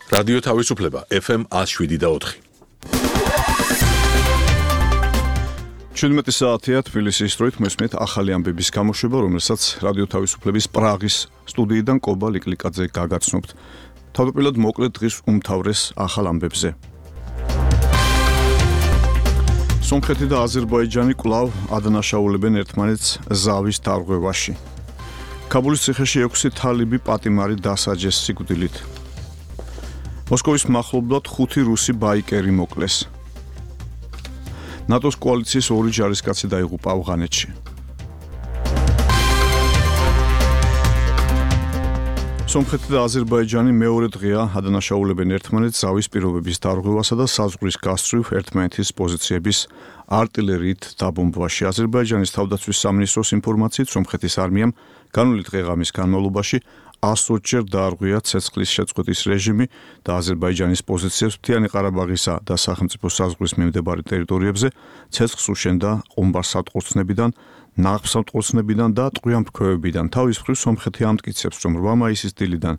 რადიო თავისუფლება FM 107.4. 17 საათია თბილისის დროით მოსმენთ ახალი ამბების გამოშვება, რომელსაც რადიო თავისუფლების პრაღის სტუდიიდან კობა ლიკლიკაძე გაგაცნობთ. თავდაპირველად მოკლედ დღის უმთავრეს ახალ ამბებზე. სომხეთი და აზერბაიჯანი კვლავ ადანაშაულებენ ერთმანეთს ზავის დარღვევაში. ქაბულის ციხეში 6 თალიბი პატიმარი დასაჯეს სიკვდილით. მოსკოვის მახლობლად 5 რუსი ბაიკერი მოკლეს. ნატოს კოალიციის 2 ჯარისკაცი დაიღუპა ავღანეთში. სომხეთი და აზერბაიჯანი მეორე დღეა ადანაშაულებენ ერთმანეთს ზავის პირობების დარღვევასა და საზღვრის გასწვრივ ერთმანეთის პოზიციების არტილერიით დაბომბვაში. აზერბაიჯანის თავდაცვის სამინისტროს ინფორმაციით, სომხეთის არმიამ განვლილი დღე-ღამის განმავლობაში 120-ჯერ დაარღვია ცეცხლის შეწყვეტის რეჟიმი და აზერბაიჯანის პოზიციებს მთიანი ყარაბაღისა და სახელმწიფო საზღვრის მიმდებარე ტერიტორიებზე ცეცხლს უშენდა ყუმბარ-სატყორცნებიდან, ნაყოფსატყორცნებიდან და ტყვიამფრქვევებიდან. თავის მხრივ სომხეთი ამტკიცებს, რომ 8 მაისის დილიდან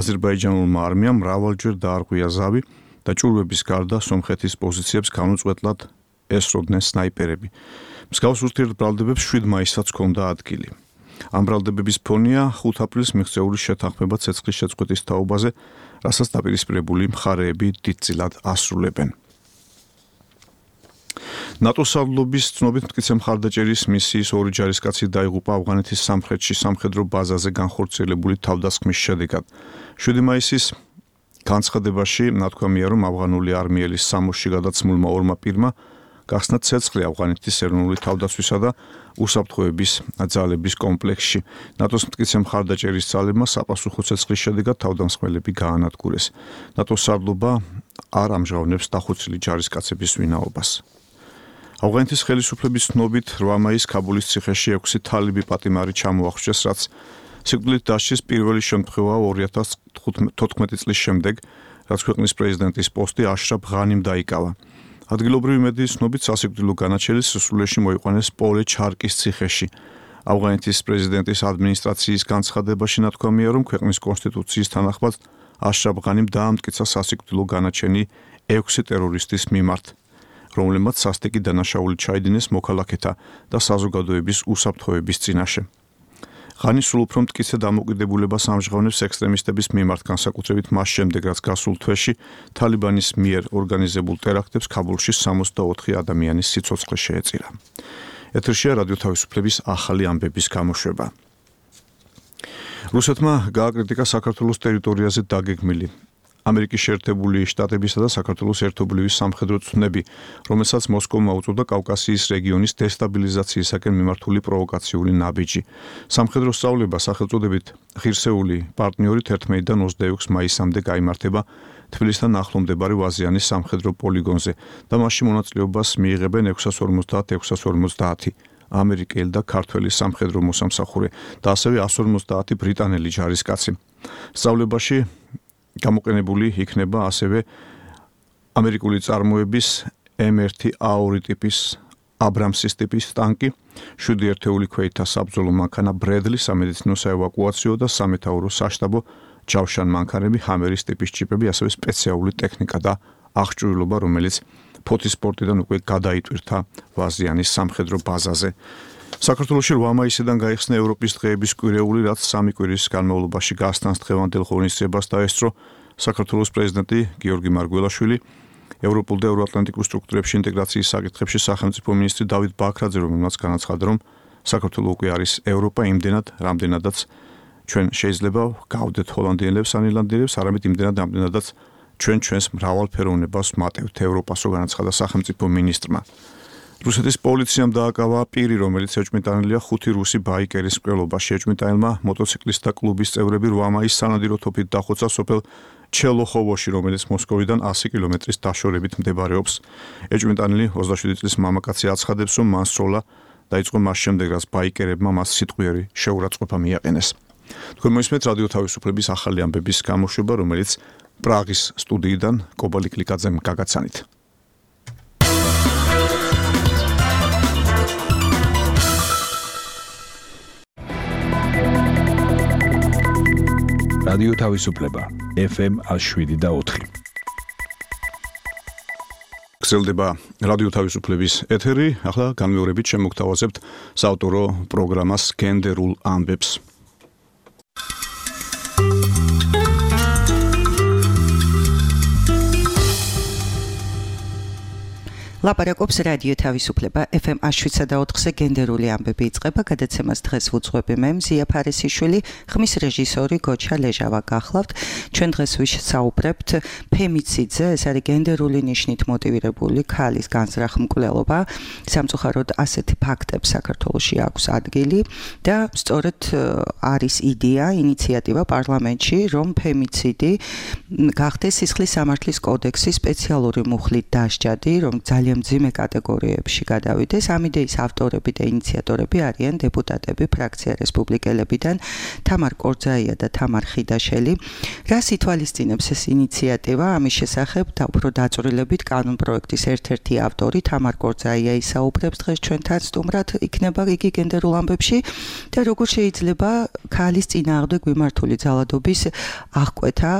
აზერბაიჯანულმა არმიამ მრავალჯერ დაარღვია ზავი და ჭურვების გარდა სომხეთის პოზიციებს განუწყვეტლად ესროდნენ სნაიპერები. მსგავს ურთიერთბრალდებებს 7 მაისსაც ჰქონდა ადგილი. ამ ბრალდებების ფონია 5 აპრილს მიღწეული შეთანხმება ცეცხლის შეწყვეტის თაობაზე, რასაც დაპირისპირებული მხარეები დიდწილად ასრულებენ. ნატოს სარდლობის ცნობით მტკიცე მხარდაჭერის მისიის 2 ჯარისკაცი დაიღუპა ავღანეთის სამხრეთში სამხედრო ბაზაზე განხორციელებული თავდასხმის შედეგად. 7 მაისის განცხადებაში ნათქვამია, რომ ავღანული არმიელის სამოსში გადაცმულმა 2 პირმა გახსნა ცეცხლი ავღანეთის ეროვნული თავდაცვისა და უსაფრთხოების ძალების კომპლექსში. ნატოს მტკიცე მხარდაჭერის ძალებმა საპასუხო ცეცხლის შედეგად თავდამსხმელები გაანადგურეს. ნატოს სარდლობა არ ამჟღავნებს დახოცილი ჯარისკაცების ვინაობას. ავღანეთის ხელისუფლების ცნობით 8 მაისს ქაბულის ციხეში 6 თალიბი პატიმარი ჩამოახშვეს, რაც სიკვდილით დასჯის პირველი შემთხვევაა 2014 წლის შემდეგ, რაც ქვეყნის პრეზიდენტის პოსტი აშრაფ ღანიმ დაიკავა. ადგილობრივი მედიის ცნობით სასიკვდილო განაჩენი სისხლში მოიყვანეს პოლე ჩარკის ციხეში. ავღანეთის პრეზიდენტის ადმინისტრაციის განცხადებაში ნათქვამია, რომ ქვეყნის კონსტიტუციის თანახმად აშრაფ ღანიმ დაამტკიცა სასიკვდილო განაჩენი 6 ტერორისტის მიმართ, რომლებმაც სასტიკი დანაშაული ჩაიდინეს მოქალაქეთა და საზოგადოების უსაფრთხოების წინაშე. ღანი სულ უფრო მტკიცე დამოკიდებულებას ამჟღავნებს ექსტრემისტების მიმართ, განსაკუთრებით მას შემდეგ, რაც გასულ თვეში თალიბანის მიერ ორგანიზებულ ტერაქტებს ქაბულში 64 ადამიანის სიცოცხლე შეეწირა. ეთერშია რადიო თავისუფლების ახალი ამბების გამოშვება. რუსეთმა გააკრიტიკა საქართველოს ტერიტორიაზე დაგეგმილი ამერიკის შეერთებული შტატებისა და საქართველოს ერთობლივი სამხედრო ცნები, რომელსაც მოსკოვმა უწოდა კავკასიის რეგიონის დესტაბილიზაციისაკენ მიმართული პროვოკაციული ნაბიჯი. სამხედრო სწავლება სახელწოდებით ღირსეული პარტნიორი 11-დან 26 მაისამდე გაიმართება თბილისთან ახლო მდებარე ვაზიანის სამხედრო პოლიგონზე და მასში მონაწილეობას მიიღებენ 650 ამერიკელი და ქართველი სამხედრო მოსამსახურე და ასევე 150 ბრიტანელი ჯარისკაცი. სწავლებაში გამოყენებული იქნება ასევე ამერიკული წარმოების M1A2 ტიპის აბრამსის ტიპის ტანკი, 7 ერთეული ქვეითთა საბრძოლო მანქანა ბრედლი, სამედიცინო საევაკუაციო და სამეთაურო საშტაბო ჯავშან მანქანები, ჰამერის ტიპის ჯიპები, ასევე სპეციალური ტექნიკა და აღჭურვილობა, რომელიც ფოთის სპორტიდან უკვე გადაიტვირთა ვაზიანის სამხედრო ბაზაზე. საქართველოში 8 მაისიდან გაიხსნა ევროპის დღეების კვირეული, რაც 3 კვირის განმავლობაში გასტანს დღევანდელ ღონისძიებას დაესწრო საქართველოს პრეზიდენტი გიორგი მარგველაშვილი, ევროპულ და ევროატლანტიკურ სტრუქტურებში ინტეგრაციის საკითხებში სახელმწიფო მინისტრი დავით ბაქრაძე, რომელმაც განაცხადა, რომ საქართველო უკვე არის ევროპა იმდენად, რამდენადაც ჩვენ შეიძლება გავდეთ ჰოლანდიელებს ან ირლანდიელებს, არამედ იმდენად, რამდენადაც ჩვენს მრავალფეროვნებას ვმატევთ ევროპასო, განაცხადა სახელმწიფო მინისტრმა. რუსეთის პოლიციამ დააკავა პირი, რომელიც ეჭვმიტანილია 5 რუსი ბაიკერის მკვლელობაში. ეჭვმიტანილმა მოტოციკლისტთა კლუბის წევრები 8 მაისს სანადირო თოფით დახოცა სოფელ ჩელოხოვოში, რომელიც მოსკოვიდან 100 კილომეტრის დაშორებით მდებარეობს. ეჭვმიტანილი 27 წლის მამაკაცი აცხადებს, რომ მან სროლა დაიწყო მას შემდეგ, რაც ბაიკერებმა მას სიტყვიერი შეურაცხყოფა მიაყენეს. თქვენ მოისმენთ რადიო თავისუფლების ახალი ამბების გამოშვება, რომელიც პრაღის სტუდიიდან კობა ლიკლიკაძემ გაგაცანით. რადიო თავისუფლება FM 107.4. გრძელდება რადიო თავისუფლების ეთერი. ახლა განმეორებით შემოგთავაზებთ საავტორო პროგრამას გენდერულ ამბებს. ლაპარაკობს რადიო თავისუფლება FM 107.4-ზე გენდერული ამბები იწყება. გადაცემას დღეს ვუძღვები მე მზია ფარისიშვილი, ხმის რეჟისორი გოჩა ლეჟავა გახლავთ. ჩვენ დღეს ვისაუბრებთ ფემიციდზე, ეს არის გენდერული ნიშნით მოტივირებული ქალის განზრახ მკვლელობა. სამწუხაროდ ასეთი ფაქტებს საქართველოში აქვს ადგილი და სწორედ არის იდეა, ინიციატივა პარლამენტში, რომ ფემიციდი გახდეს სისხლის სამართლის კოდექსის სპეციალური მუხლით დასჯადი, რომ ძალიან მძიმე კატეგორიებში გადავიდეს. ამ იდეის ავტორები და ინიციატორები არიან დეპუტატები ფრაქცია რესპუბლიკელებიდან თამარ კორძაია და თამარ ხიდაშელი. რას ითვალისწინებს ეს ინიციატივა? ამის შესახებ და უფრო დაწვრილებით კანონპროექტის ერთ-ერთი ავტორი თამარ კორძაია ისაუბრებს დღეს ჩვენთან სტუმრად. იქნება იგი გენდერულ ამბებში და როგორ შეიძლება ქალის წინააღმდეგ მიმართული ძალადობის აღკვეთა,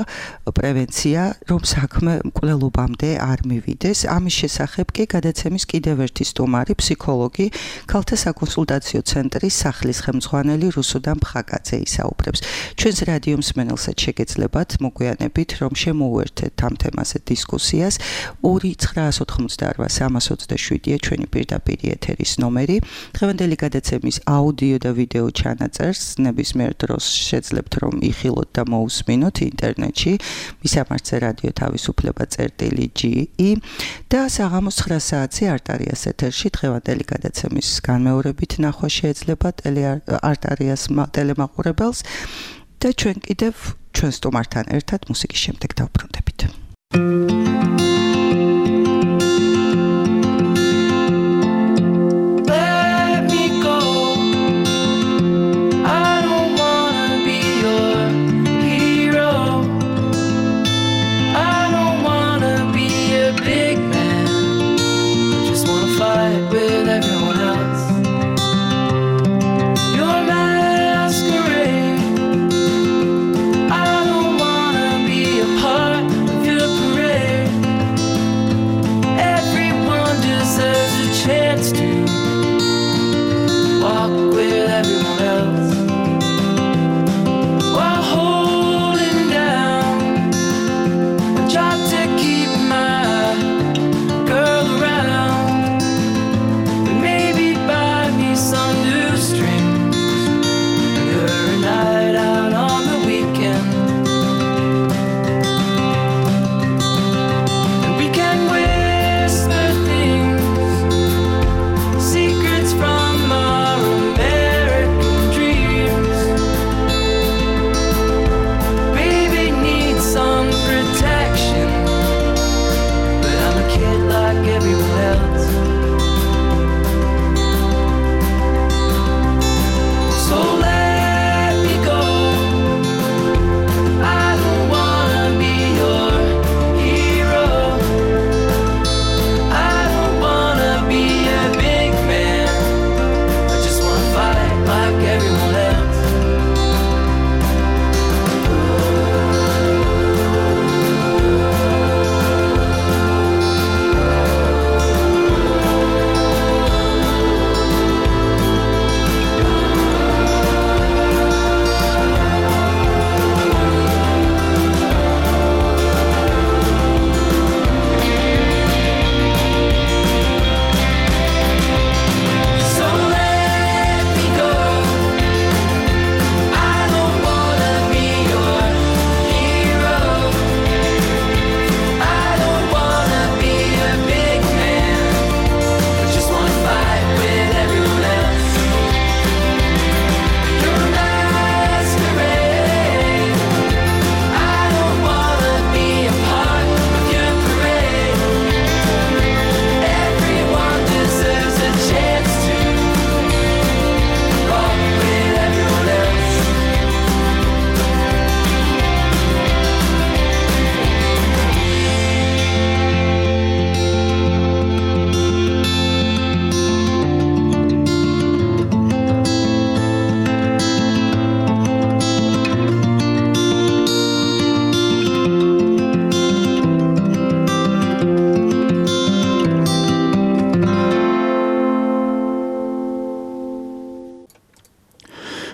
პრევენცია, რომ საქმე მკვლელობამდე არ მივიდეს. ამის შესახებ კი გადაცემის კიდევ ერთი სტუმარი, ფსიქოლოგი, ქალთა საკონსულტაციო ცენტრის სახლის ხელმძღვანელი რუსუდან ფხაკაძე ისაუბრებს. ჩვენს რადიო მსმენელსაც შეგეძლებათ მოგვიანებით, რომ შემოუერთეთ ამ თემაზე დისკუსიას. 2-988-327-ია ჩვენი პირდაპირ ეთერის ნომერი. დღევანდელი გადაცემის აუდიო და ვიდეო ჩანაწერს ნებისმიერ დროს შეძლებთ, რომ იხილოთ და მოусმინოთ ინტერნეტში. მისამართზე რადიო თავისუფლება.ge და საღამოს 9 საათზე არტარიას ეთერში დღევანდელი გადაცემის განმეორებით ნახვა შეეძლება არტარიას ტელემაყურებელს და ჩვენ კიდევ ჩვენ სტუმართან ერთად მუსიკის შემდეგ დავბრუნდებით. Part of your parade.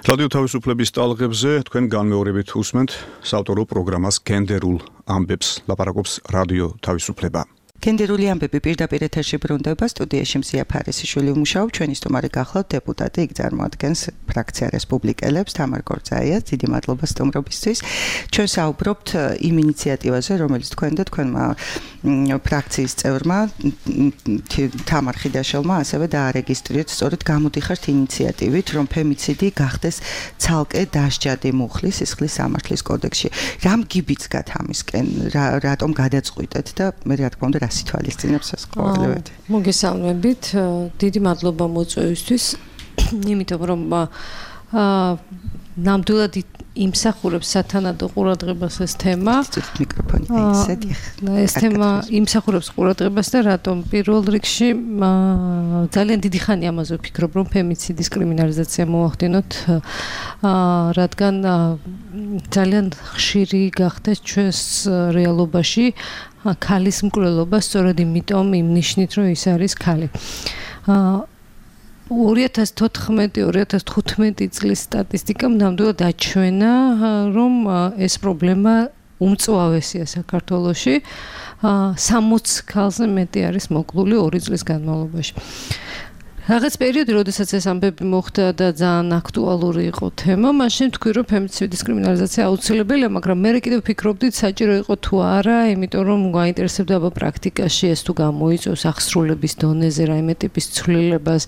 რადიო თავისუფლების ტალღებზე თქვენ განმეორებით უსმენთ საავტორო პროგრამას გენდერულ ამბებს, ლაპარაკობს რადიო თავისუფლება. გენდერული ამბები პირდაპირ ეთერში ბრუნდება, სტუდიაში მზია ფარისიშვილი უმუშაობ, ჩვენი სტუმარი გახლავთ დეპუტატი, იქ წარმოადგენს ფრაქცია რესპუბლიკელებს, თამარ გორძაიას, დიდი მადლობა სტუმრობისთვის. ჩვენ საუბრობთ იმ ინიციატივაზე, რომელიც თქვენ და თქვენმა ფრაქციის წევრმა თამარ ხიდაშელმა ასევე დაარეგისტრირეთ, სწორედ გამოდიხართ ინიციატივით, რომ ფემიციდი გახდეს ცალკე დასჯადი მუხლის სისხლის სამართლის კოდექსში. რამ გიბიძგათ ამისკენ, რატომ გადაწყვიტეთ და მე რა თქმა უნდა რა სიტუაციებს ეს ყოველივეთი. მოგესალმებით, დიდი მადლობა მოწვევისთვის, იმიტომ რომ ნამდვილად იმსახურებს სათანადო ყურადღებას ეს თემა. მიკროფონი ისეთი. ეს თემა იმსახურებს ყურადღებას და რატომ პირველ რიგში ძალიან დიდი ხანი ამაზე ვფიქრობ, რომ ფემიციდის კრიმინალიზაცია მოახდინოთ, რადგან ძალიან ხშირი გახდეს ჩვენს რეალობაში ქალის მკვლელობა სწორედ იმიტომ იმ ნიშნით, რომ ის არის ქალი. 2014-2015 წლის სტატისტიკამ ნამდვილად აჩვენა, რომ ეს პრობლემა უმწვავესია საქართველოში. 60 ქალზე მეტი არის მოკლული 2 წლის განმავლობაში. რაღაც პერიოდი, როდესაც ეს ამბები მოხდა და ძალიან აქტუალური იყო თემა, მაშინ თქვი, რომ ფემიციდის კრიმინალიზაცია აუცილებელია, მაგრამ მე კიდევ ვფიქრობდით, საჭირო იყო თუ არა, იმიტომ რომ გაინტერესებდა აბა პრაქტიკაში ეს თუ გამოიწვევს აღსრულების დონეზე რაიმე ტიპის ცვლილებას,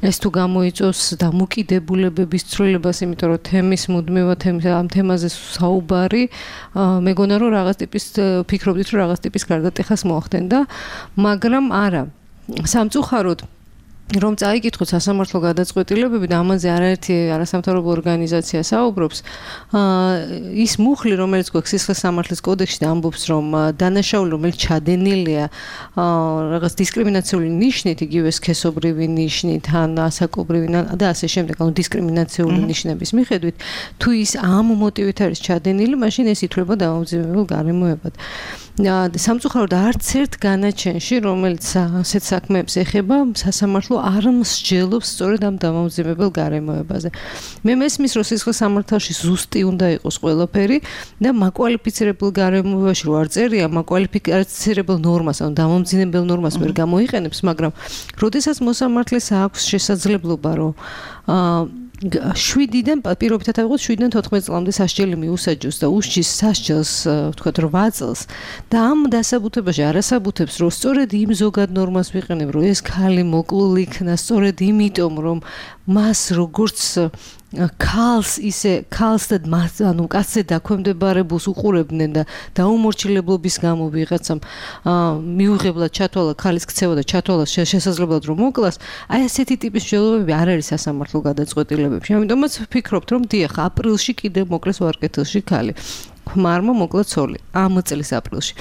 ეს თუ გამოიწვევს დამოკიდებულებების ცვლილებას, იმიტომ რომ თემის მუდმივად ამ თემაზე საუბარი, მეგონა რომ რაღაც ტიპის ვფიქრობდით, რომ რაღაც ტიპის გარდატეხას მოახდენდა, მაგრამ არა. სამწუხაროდ რომ წაიკითხოთ სასამართლო გადაწყვეტილებები და ამაზე არაერთი არასამთავრობო ორგანიზაცია საუბრობს, ის მუხლი, რომელიც გვაქვს სისხლის სამართლის კოდექსში და ამბობს, რომ დანაშაული, რომელიც ჩადენილია რაღაც დისკრიმინაციული ნიშნით, იგივე სქესობრივი ნიშნით, ან ასაკობრივი და ასე შემდეგ, ანუ დისკრიმინაციული ნიშნების მიხედვით, თუ ის ამ მოტივით არის ჩადენილი, მაშინ ეს ითვლება დამამძიმებელ გარემოებად. სამწუხაროდ არც ერთ განაჩენში, რომელიც ასეთ საქმეებს ეხება, სასამართლო არ მსჯელობს სწორედ ამ დამამძიმებელ გარემოებაზე. მე მესმის, რომ სისხლის სამართალში ზუსტი უნდა იყოს ყველაფერი და მაკვალიფიცირებულ გარემოებაში რო არ წერია, მაკვალიფიცირებულ ნორმას, ანუ დამამძიმებელ ნორმას ვერ გამოიყენებს, მაგრამ როდესაც მოსამართლეს აქვს შესაძლებლობა, რომ 7-დან პირობითად ავიღოთ 7-დან 14 წლამდე სასჯელი მიუსაჯოს და უსჯის სასჯელს ვთქვათ 8 წელს და ამ დასაბუთებაში არასაბუთებს რომ სწორედ იმ ზოგად ნორმას ვიყენებ რომ ეს ქალი მოკლული იქნა სწორედ იმიტომ რომ მას როგორც ქალს და ანუ კაცზე დაქვემდებარებულს უყურებდნენ და დაუმორჩილებლობის გამო ვიღაცამ მიუღებლად ჩათვალა ქალის ქცევა და ჩათვალა შესაძლებლად რომ მოკლას, აი ასეთი ტიპის მსჯელობები არ არის სასამართლო გადაწყვეტილებებში. ამიტომაც ვფიქრობთ, რომ დიახ, აპრილში კიდევ მოკლეს ვარკეთილში ქალი. ქმარმა მოკლა ცოლი ამ წლის აპრილში.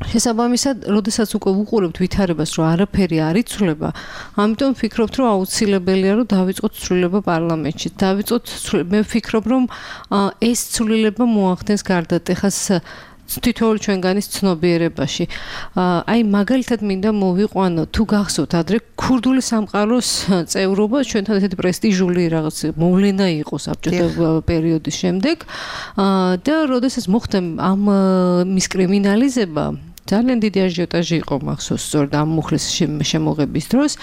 შესაბამისად, როდესაც უკვე ვუყურებთ ვითარებას, რომ არაფერი არ იცვლება, ამიტომ ვფიქრობთ, რომ აუცილებელია, რომ დავიწყოთ ცვლილება პარლამენტში. მე ვფიქრობ, რომ ეს ცვლილება მოახდენს გარდატეხას თითოეული ჩვენგანის ცნობიერებაში. აი მაგალითად მინდა მოვიყვანო, თუ გახსოვთ, ადრე ქურდული სამყაროს წევრობა ჩვენთან ესეთი პრესტიჟული რაღაც მოვლენა იყო საბჭოთა პერიოდის შემდეგ და როდესაც მოხდა ამ მის კრიმინალიზება, ძალიან დიდი აჟიოტაჟი იყო მახსოვს სწორედ ამ მუხლის შემოღების დროს.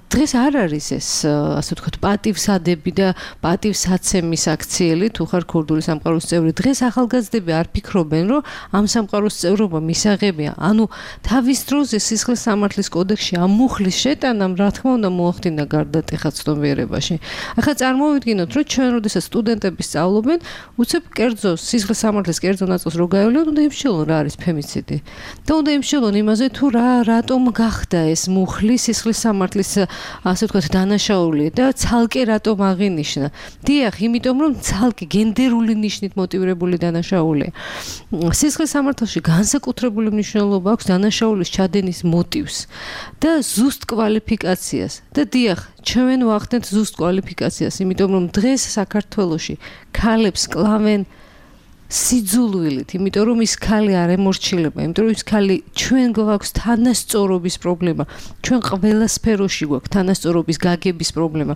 დღეს არ არის ეს, ასე ვთქვათ, პატივსადები და პატივსაცემის აქციელი, თუ ხარ ქურდული სამყაროს წევრი. დღეს ახალგაზრდები არ ფიქრობენ, რომ ამ სამყაროს წევრობა მისაღებია. ანუ თავის დროზე სისხლის სამართლის კოდექსში ამ მუხლის შეტანამ, რა თქმა უნდა, მოახდინა გარდატეხა ცნობიერებაში. ახლა წარმოვიდგინოთ, რომ ჩვენ როდესაც სტუდენტები სწავლობენ, უცებ კერძო სისხლის სამართლის კერძო ნაწილს რო გაევლოთ, უნდა იმშილონ რა არის ფემიციდი. და უნდა იმშილონ იმაზე, თუ რატომ გახდა ეს მუხლი სისხლის სამართლის ასე ვთქვათ დანაშაული და ცალკე რატომ აღინიშნა. დიახ, იმიტომ რომ ცალკე გენდერული ნიშნით მოტივირებული დანაშაულია. სისხლის სამართალში განსაკუთრებული მნიშვნელობა აქვს დანაშაულის ჩადენის მოტივს და ზუსტ კვალიფიკაციას. და დიახ, ჩვენ ვახდენთ ზუსტ კვალიფიკაციას, იმიტომ რომ დღეს საქართველოში ქალებს კლავენ სიძულვილით, იმიტომ რომ ის ქალი არ ემორჩილება, იმიტომ რომ ის ქალი ჩვენ გვაქვს თანასწორობის პრობლემა, ჩვენ ყველა სფეროში გვაქვს თანასწორობის გაგების პრობლემა.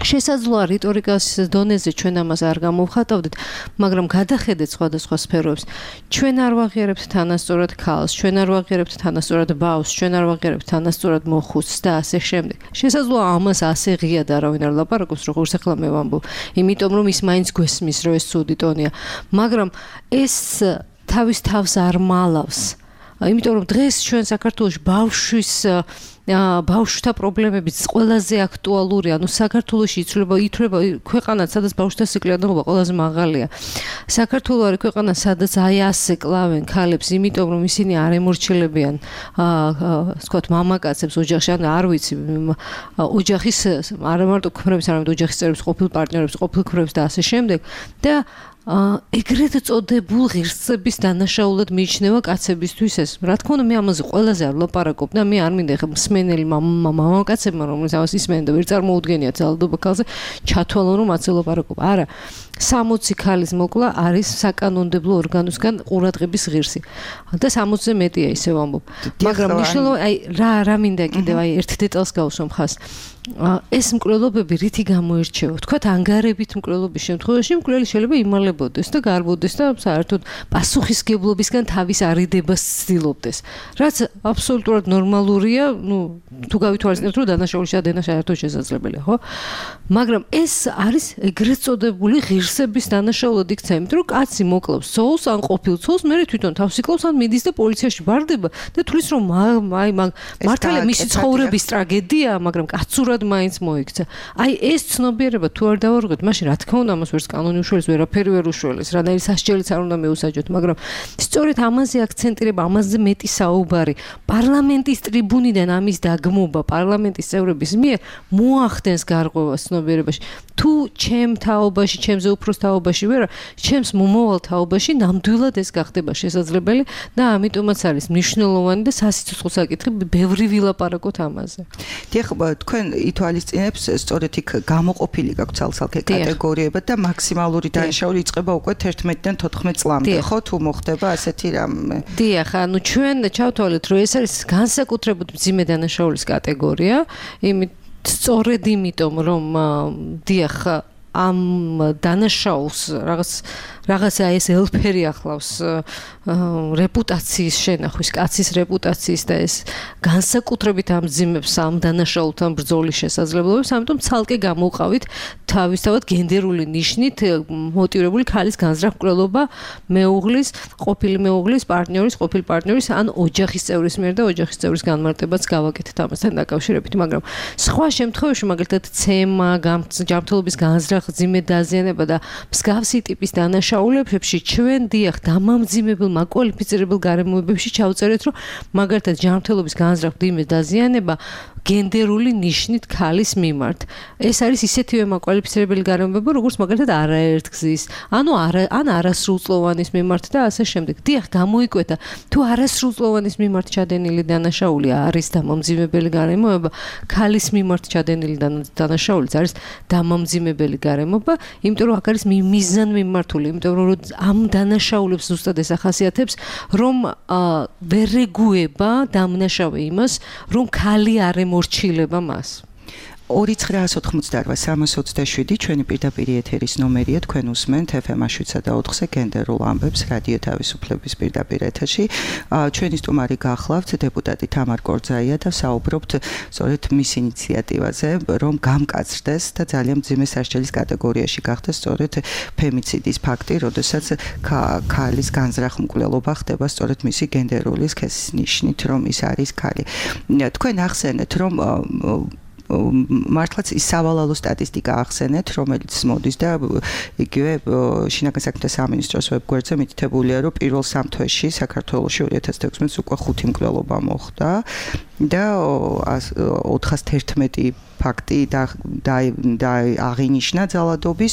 შესაძლოა რიტორიკას დონეზე ჩვენ ამას არ გამოვხატავდით, მაგრამ გადახედეთ სხვადასხვა სფეროებს. ჩვენ არ ვაღიარებთ თანასწორად ქალს, ჩვენ არ ვაღიარებთ თანასწორად ბავშვს, ჩვენ არ ვაღიარებთ თანასწორად მოხუცს და ასე შემდეგ. შესაძლოა ამას ასე ღიად არავინ არ ლაპარაკობს, როგორც ახლა მე ვამბობ, იმიტომ რომ ის მაინც გვესმის, რომ ეს ცუდი ტონია, მაგრამ ეს თავის თავს არ მალავს. იმიტომ რომ დღეს ჩვენ საქართველოში ბავშვთა პრობლემებიც ყველაზე აქტუალურია. ანუ საქართველოში ითვლება ქვეყანა, სადაც ბავშვთა სიკვდილიანობა ყველაზე მაღალია. საქართველო არის ქვეყანა, სადაც აი ასე კლავენ ქალებს, იმიტომ რომ ისინი არ ემორჩილებიან, ვთქვათ, მამაკაცებს ოჯახში, ან არ ვიცი, ოჯახის არა მარტო ქმრებს, არამედ ოჯახის წევრებს, ყოფილ პარტნიორებს, ყოფილ ქმრებს და ასე შემდეგ. და ეგრეთ წოდებულ ღირსების დანაშაულად მიიჩნევა კაცებისთვის ეს. რა თქმა უნდა, მე ამაზე ყველაზე არ ვლაპარაკობ და მე არ მინდა ხა მსმენელი მამაკაცებმა, რომლებიც ამას ისმენენ და ვერ წარმოუდგენიათ ძალადობა ქალზე, ჩათვალონ რომ ასე ვლაპარაკობ. არა. 60 ქალის მოკლა არის საკანონმდებლო ორგანოსგან ყურადღების ღირსი. და 60-ზე მეტია ისე ვამბობ. მაგრამ მნიშვნელოვანი, აი რა მინდა კიდევ აი ერთ დეტალს გავუსვამ ხას. ეს მკვლელობები რითი გამოირჩევა? თქვათ ანგარებით მკვლელობის შემთხვევაში მკვლელი შეიძლება იმალებოდეს და გარბოდეს და საერთოდ პასუხისგებლობისგან თავის არიდებას ცდილობდეს. რაც აბსოლუტურად ნორმალურია, თუ გავითვალისწინებთ, რომ დანაშაული შადენა საერთოდ შესაძლებელია, ხო? მაგრამ ეს არის ეგრეთ წოდებული ღირსების დანაშაულად იქცა, იმიტომ რომ კაცი მოკლავს ცოლს ან ყოფილ ცოლს, მე თვითონ თავს იკლავს ან მიდის და პოლიციაში ბარდება და თulis რომ მართალია მისი ცხოვრების ტრაგედია, მაგრამ კაცურად მაინც მოიქცა. აი ეს ცნობიერება თუ არ დავარღვეთ, მაშინ რა თქმა უნდა ამას ვერც კანონი უშველეს, ვერაფერი ვერ უშველეს, რანაირი სასჯელიც არ უნდა მეუსაჯოთ, მაგრამ სწორედ ამაზე აქცენტირება, ამაზე მეტი საუბარი, პარლამენტის ტრიბუნიდან ამის დაგმობა, პარლამენტის წევრების მიერ მოახდენს გარღვევას ცნობიერებაში. თუ ჩემ თაობაში, ჩემზე უფროს თაობაში ვერა, ჩემს მომავალ თაობაში ნამდვილად ეს გახდება შესაძლებელი და ამიტომაც არის მნიშვნელოვანი და სასიცოცხლო საკითხი, ბევრი ვილაპარაკოთ ამაზე. დიახ, თქვენ ითვალისწინებს სწორედ იქ გამოყოფილი გაქვთ ცალ-ცალკე კატეგორიები და მაქსიმალური დანაშაული იწყება უკვე 11-დან 14 წლამდე, ხო, თუ მოხდება ასეთი რამე. დიახ, ანუ ჩვენ ჩავთვალეთ, რომ ეს არის განსაკუთრებულად მძიმე დანაშაულის კატეგორია, სწორედ იმიტომ, რომ დიახ, ამ დანაშაულს რაღაცა ეს ელფერი ახლავს რეპუტაციის შენახვის, კაცის რეპუტაციის და ეს განსაკუთრებით ამძიმებს ამ დანაშაულთან ბრძოლის შესაძლებლობებს, ამიტომ ცალკე გამოვყავით თავისთავად გენდერული ნიშნით მოტივირებული ქალის განზრახ მკვლელობა მეუღლის, ყოფილი მეუღლის, პარტნიორის, ყოფილი პარტნიორის ან ოჯახის წევრის მიერ და ოჯახის წევრის განმარტებაც გავაკეთეთ ამასთან დაკავშირებით, მაგრამ სხვა შემთხვევაში, მაგალითად, ცემა, ჯანმრთელობის განზრახ, მძიმე დაზიანება და მსგავსი ტიპის დანაშაულებებში ჩვენ დიახ დამამძიმებელ მაკვალიფიცირებელ გარემოებებში ჩავწერეთ, რომ მაგალითად ჯანმრთელობის განზრახ, მძიმე დაზიანება გენდერული ნიშნით ქალის მიმართ. ეს არის ისეთივე მაკვალიფიცირებელი გარემოება, როგორც მაგალითად არაერთგზის, ან არასრულწლოვანის მიმართ და ასე შემდეგ. დიახ, გამოიკვეთა, თუ არასრულწლოვანის მიმართ ჩადენილი დანაშაული არის დამამძიმებელი გარემოება, ქალის მიმართ ჩადენილი დანაშაულიც არის დამამძიმებელი გარემოება, იმიტომ რომ აქ არის მიზანმიმართული, იმიტომ რომ ამ დანაშაულებს ზუსტად ეს ახასიათებს, რომ ვერ ეგუება დამნაშავე იმას, რომ ქალი არ ემორჩილება მას. 2988-327 ჩვენი პირდაპირ ეთერის ნომერია, თქვენ უსმენთ FM 7/4-ზე გენდერულ ამბებს რადიო თავისუფლების პირდაპირ ეთერში. ჩვენი სტუმარი გახლავთ დეპუტატი თამარ კორძაია და საუბრობთ სწორედ მის ინიციატივაზე, რომ გამკაცრდეს და ძალიან მძიმე სასჯელის კატეგორიაში გახდეს სწორედ ფემიციდის ფაქტი, როდესაც ქალის განზრახ მკვლელობა ხდება სწორედ მისი გენდერული სქესის ნიშნით, რომ ის არის ქალი. თქვენ ახსენეთ, რომ მართლაც ის სავალალო სტატისტიკა ახსენეთ, რომელიც მოდის და იგივე შინაგან საქმეთა სამინისტროს ვებგვერდზე მითითებულია, რომ პირველ 3 თვეში საქართველოში 2016 უკვე 5 მკვლელობა მოხდა და 411 ფაქტი და აღინიშნა ძალადობის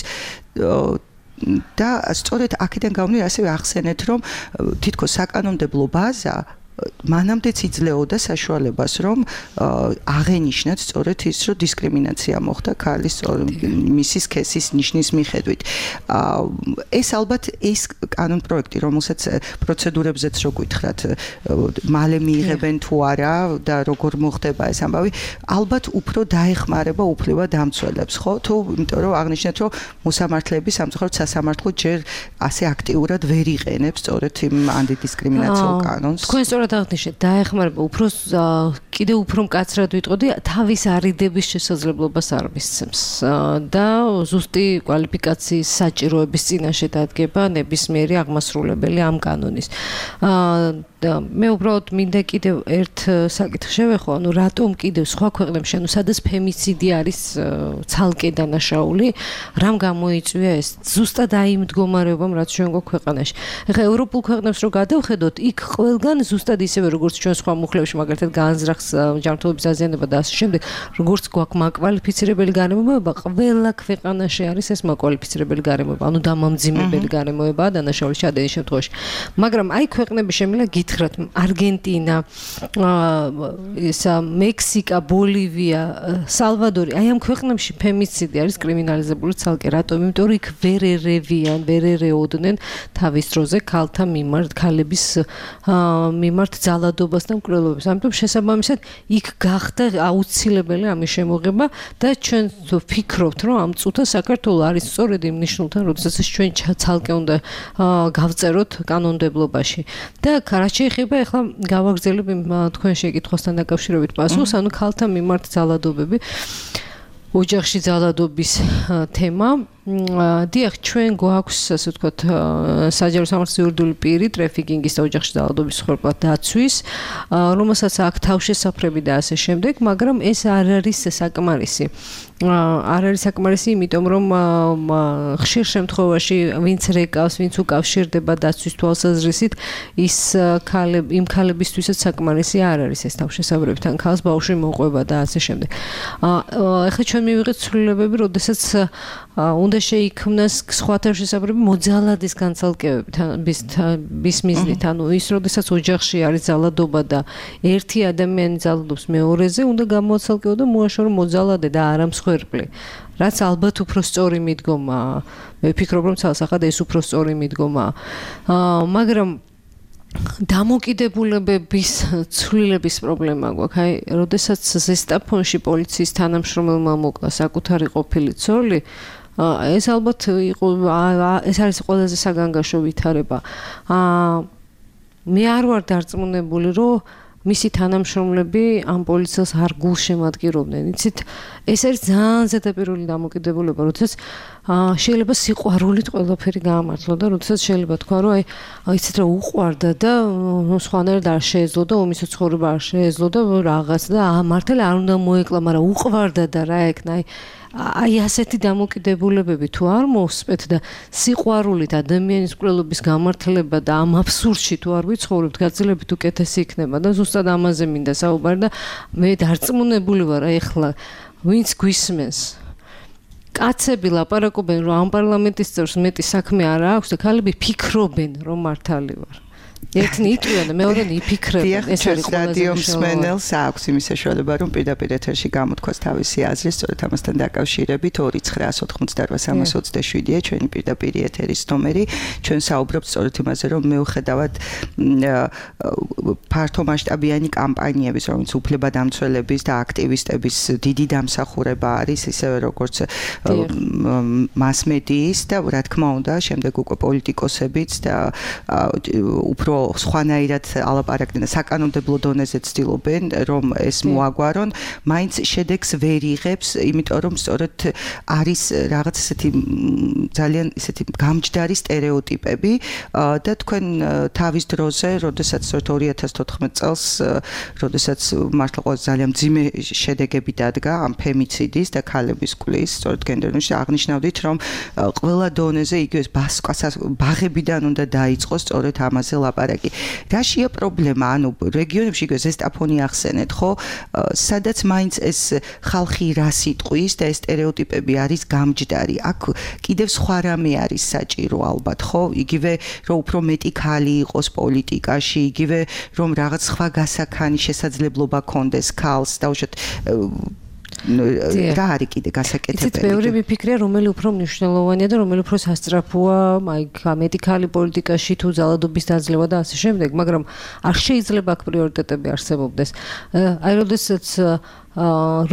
და სწორედ აქედან გამომდინარე ასევე ახსენეთ, რომ თითქოს საკანონმდებლო ბაზა მანამდეც იძლეოდა საშუალებას, რომ აღენიშნათ სწორედ ის, რომ დისკრიმინაცია მოხდა ქალის მისის სქესის ნიშნის მიხედვით. ეს ალბათ ეს კანონ პროექტი, რომელსაც პროცედურებზეც რო გითხრათ, მალე მიიღებენ თუ არა და როგორ მოხდება ეს ამბავი, ალბათ უფრო დაეხმარება უფლება დამცველებს, ხო? თუ იმიტომ რომ აღნიშნეთ, რომ მოსამართლეები სამწუხაროდ სასამართლო ჯერ ასე აქტიურად ვერ იყენებს სწორედ იმ ანტიდისკრიმინაციულ კანონს. თქვენ სწორად აღნიშნეთ, დაეხმარება უფრო კიდევ უფრო მკაცრად ვიტყოდი, თავის არიდების შესაძლებლობას არ მისცემს და ზუსტი კვალიფიკაციის საჭიროების წინაშე დადგება ნებისმიერი აღმასრულებელი ამ კანონის. მე უბრალოდ მინდა კიდევ ერთ საკითხს შევეხო, ანუ რატომ კიდევ სხვა ქვეყნებში, ანუ სადაც ფემიციდი არის ცალკე დანაშაული, რამ გამოიწვია ეს ზუსტად აი იმ მდგომარეობამ, რაც ჩვენ გვაქვს ქვეყანაში. ეხლა ევროპულ ქვეყნებს რო გადავხედოთ, იქ ყველგან ზუსტად ისევე როგორც ჩვენ სხვა მუხლებში, მაგალითად განზრახს ჯანმრთელობის დაზიანება და ასე შემდეგ, როგორც გვაქვს მაკვალიფიცირებელი გარემოება, ყველა ქვეყანაში არის ეს მაკვალიფიცირებელი გარემოება, ანუ დამამძიმებელი გარემოებაა დანაშაულის ჩადენის შემთხვევაში. მაგრამ აი ქვეყნები შემიძლია გითხრათ, არგენტინა, მექსიკა, ბოლივია, სალვადორი, აი ამ ქვეყნებში ფემიციდი არის კრიმინალიზებული ცალკე. რატომ? იმიტომ რომ იქ ვერ ერევიან, ვერ ერეოდნენ თავის დროზე ქალთა მიმართ, ქალების მიმართ ძალადობას და მკვლელობას. ამიტომ შესაბამისად იქ გახდა აუცილებელი ამის შემოღება და ჩვენ ვფიქრობთ, რომ ამ წუთას საქართველოს არის სწორედ იმ ნიშნულთან, როდესაც ჩვენ ცალკე უნდა გავწეროთ კანონმდებლობაში. და რაც შეეხება ახლა გავაგრძელებ თქვენ შეკითხვასთან დაკავშირებით პასუხს, ანუ ქალთა მიმართ ძალადობები, ოჯახში ძალადობის თემა. დიახ, ჩვენ გვაქვს, ასე ვთქვათ, საჯარო სამართლის იურიდიული პირი ტრაფიკინგის და ოჯახში ძალადობის მსხვერპლად დაცვის, რომელსაც აქვს თავშესაფრები და ასე შემდეგ, მაგრამ ეს არ არის საკმარისი. არ არის საკმარისი, იმიტომ რომ ხშირ შემთხვევაში ვინც რეკავს, ვინც უკავშირდება დაცვის თვალსაზრისით, ის იმ ქალებისთვისაც საკმარისი არ არის ეს თავშესაფრები, თან ქალს ბავშვი მოყვება და ასე შემდეგ. ეხლა ჩვენ მივიღეთ ცვლილებები, როდესაც უნდა შეიქმნას სხვა თავშესაფრები მოძალადის განცალკევების მიზნით, ანუ ის როდესაც ოჯახში არის ძალადობა და ერთი ადამიანი ძალადობს მეორეზე, უნდა გამოაცალკეო და მოაშორო მოძალადე და არა მსხვერპლი. რაც ალბათ უფრო სწორი მიდგომაა. მე ვფიქრობ, რომ ცალსახად ეს უფრო სწორი მიდგომაა. მაგრამ დამოკიდებულებების ცვლილების პრობლემა გვაქვს. აი, როდესაც ზესტაფონში პოლიციის თანამშრომელმა მოკლა საკუთარი ყოფილი ცოლი, ეს ალბათ იყო ეს არის ყველაზე საგანგაშო ვითარება. მე არ ვარ დარწმუნებული, რომ მისი თანამშრომლები ამ პოლიციას არ გულშემატკივრობდნენ. იცით, ეს არის ძალიან ზედაპირული დამოკიდებულება, როდესაც შეიძლება სიყვარულით ყველაფერი გაამართლა და როდესაც შეიძლება თქვა, რომ აი იცით რა უყვარდა და სხვანაირად არ შეეძლო და ომის ცხოვრება არ შეეძლო და რაღაც და მართლა არ უნდა მოეკლა, მაგრამ უყვარდა და რა ეკნა, აი ასეთი დამოკიდებულებები თუ არ მოსპეთ და სიყვარულით ადამიანის მკვლელობის გამართლება და ამ აბსურდში თუ არ ვიცხოვრებთ, გაცილებით უკეთესი იქნება და ზუსტად ამაზე მინდა საუბარი და მე დარწმუნებული ვარ, ეხლა ვინც გვისმენს კაცები ლაპარაკობენ, რომ ამ პარლამენტის წევრს მეტი საქმე არ აქვს და ქალები ფიქრობენ, რომ მართალი ვარ. ერთნი იტყვიან და მეორენი იფიქრებენ. ეს არის რადიო მსმენელს აქვს იმის საშუალება, რომ პირდაპირ ეთერში გამოთქვას თავისი აზრი, სწორედ ამასთან დაკავშირებით 2988327-ია ჩვენი პირდაპირი ეთერის ნომერი. ჩვენ საუბრობთ სწორედ იმაზე, რომ მეუხედავად ფართო მასშტაბიანი კამპანიების, რომელიც უფლებადამცველების და აქტივისტების დიდი დამსახურება არის, ისევე როგორც მასმედიის და რა თქმა უნდა, შემდეგ უკვე პოლიტიკოსებიც და უფრო სხვანაირად ალაპარაკდნენ და საკანონმდებლო დონეზე ცდილობენ, რომ ეს მოაგვარონ, მაინც შედეგს ვერ იღებს, იმიტომ რომ სწორედ არის რაღაც ესეთი ძალიან ესეთი გამჯდარი სტერეოტიპები და თქვენ თავის დროზე, როდესაც 2014 წელს, როდესაც მართლა ყველაზე ძალიან მძიმე შედეგები დადგა ამ ფემიციდის და ქალების კვლის, სწორედ გენდერში აღნიშნავდით, რომ ყველა დონეზე იგივე ბაღებიდან უნდა დაიწყოს სწორედ ამაზე ლაპარაკი. რაშია პრობლემა? ანუ რეგიონებში ზესტაფონი ახსენეთ, ხო? სადაც მაინც ეს ხალხი რას იტყვის და ეს სტერეოტიპები არის გამჯდარი. აქ კიდევ სხვა რამე არის საჭირო ალბათ, ხო? იგივე რომ უფრო მეტი ქალი იყოს პოლიტიკაში, იგივე რომ რაღაც სხვა გასაქანი შესაძლებლობა ქონდეს ქალს, დაუშვათ რა არის კიდე გასაკეთებელი? იცით, ბევრი მიფიქრია, რომელი უფრო მნიშვნელოვანია და რომელი უფრო სასწრაფოა, აი, მეტი ქალი პოლიტიკაში თუ ძალადობის დაძლევა და ასე შემდეგ, მაგრამ არ შეიძლება აქ პრიორიტეტები არსებობდეს. აი, როდესაც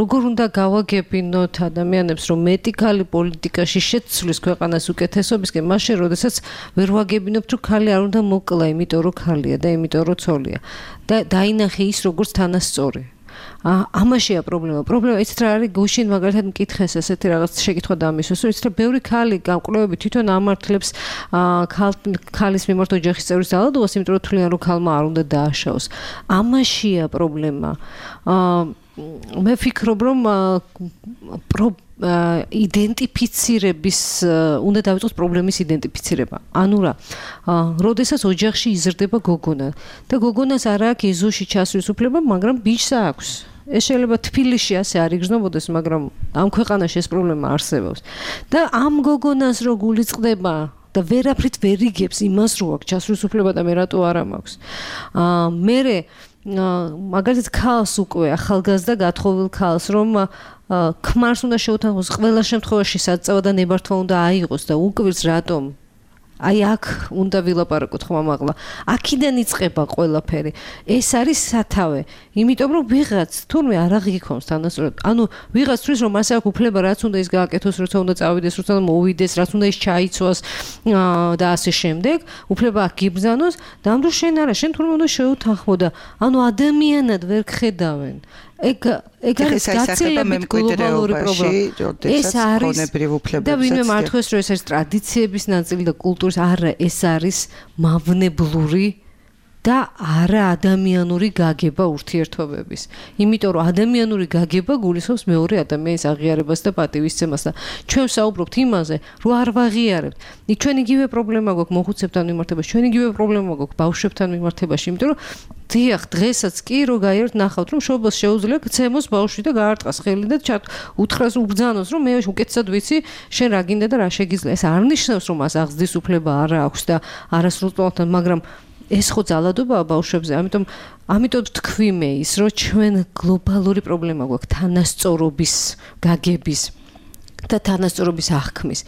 როგორ უნდა გავაგებინოთ ადამიანებს, რომ მეტი ქალი პოლიტიკაში შეცვლის ქვეყანას უკეთესობისკენ, მაშინ როდესაც ვერ ვაგებინებთ, რომ ქალი არ უნდა მოკლა, იმიტომ რომ ქალია და იმიტომ რომ ცოლია. და დაინახე ის როგორც თანასწორი. ამაშია პრობლემა. პრობლემა იცით რა არის? გუშინ მაგალითად მკითხეს ესეთი რაღაც შეკითხვა დამისვეს, რომ იცით რა ბევრი ქალი გამკვლევები თვითონ ამართლებს ქალის მიმართ ოჯახის წევრის ძალადობას, იმიტომ რომ თვლიან რომ ქალმა არ უნდა დააშაოს. ამაშია პრობლემა. მე ვფიქრობ, რომ იდენტიფიცირების უნდა დავიწყოთ პრობლემის იდენტიფიცირება. ანუ რა, როდესაც ოჯახში იზრდება გოგონა და გოგონას არ აქვს ეზოში ჩასვლის უფლება, მაგრამ ბიჭს აქვს. ეს შეიძლება თბილისში ასე არ იგრძნობოდეს, მაგრამ ამ ქვეყანაში ეს პრობლემა არსებობს. და ამ გოგონას რო გულიწყდება და ვერაფრით ვერ იგებს იმას, რო აქვს ჩასვლის უფლება და მე რატო არა მაქვს. მერე მაგალითად ქალს უკვე ახალგაზრდა გათხოვილ ქალს რომ ქმარს უნდა შეუთანხმოს ყველა შემთხვევაში საწევა და ნებართვა უნდა აიღოს და უკვირს რატომ აი აქ უნდა ვილაპარაკოთ ხმამაღლა. აქედან იწყება ყველაფერი. ეს არის სათავე. იმიტომ რომ ვიღაც თურმე არ აღიქონს თანასწორად. ანუ ვიღაც თვლის რომ მას აქვს უფლება რაც უნდა ის გააკეთოს, როცა უნდა წავიდეს, როცა უნდა მოვიდეს, რაც უნდა ის ჩაიცვას და ასე შემდეგ. უფლება აქ გიბრძანოს და ამ დროს შენ არა, შენ თურმე უნდა შეუთანხმო და ანუ ადამიანად ვერ გხედავენ. ეგ არის გაცილებით გლობალური პრობლემა. ეს არის და ვინმე მართლაც რომ ეს არის ტრადიციების ნაწილი და კულტურის არა, ეს არის მავნებლური და არა ადამიანური გაგება ურთიერთობების. იმიტომ რომ ადამიანური გაგება გულისხმობს მეორე ადამიანის აღიარებას და პატივისცემას და ჩვენ საუბრობთ იმაზე, რომ არ ვაღიარებთ. ჩვენ იგივე პრობლემა გვაქვს მოხუცებთან მიმართებაში, ჩვენ იგივე პრობლემა გვაქვს ბავშვებთან მიმართებაში, იმიტომ რომ დიახ, დღესაც კი რო გაიარეთ ნახავთ, რომ შობას შეუძლია გცემოს ბავშვი და გაარტყას ხელი და უთხრას უბრძანოს, რომ მე უკეთესად ვიცი, შენ რა გინდა და რა შეგიძლია. ეს არ ნიშნავს, რომ მას აღზრდის უფლება არ აქვს და არასრულწლოვანთან, მაგრამ ეს ხო ძალადობაა ბავშვებზე, ამიტომ თქვი მე ის, რომ ჩვენ გლობალური პრობლემა გვაქვს თანასწორობის გაგების და თანასწორობის აღქმის.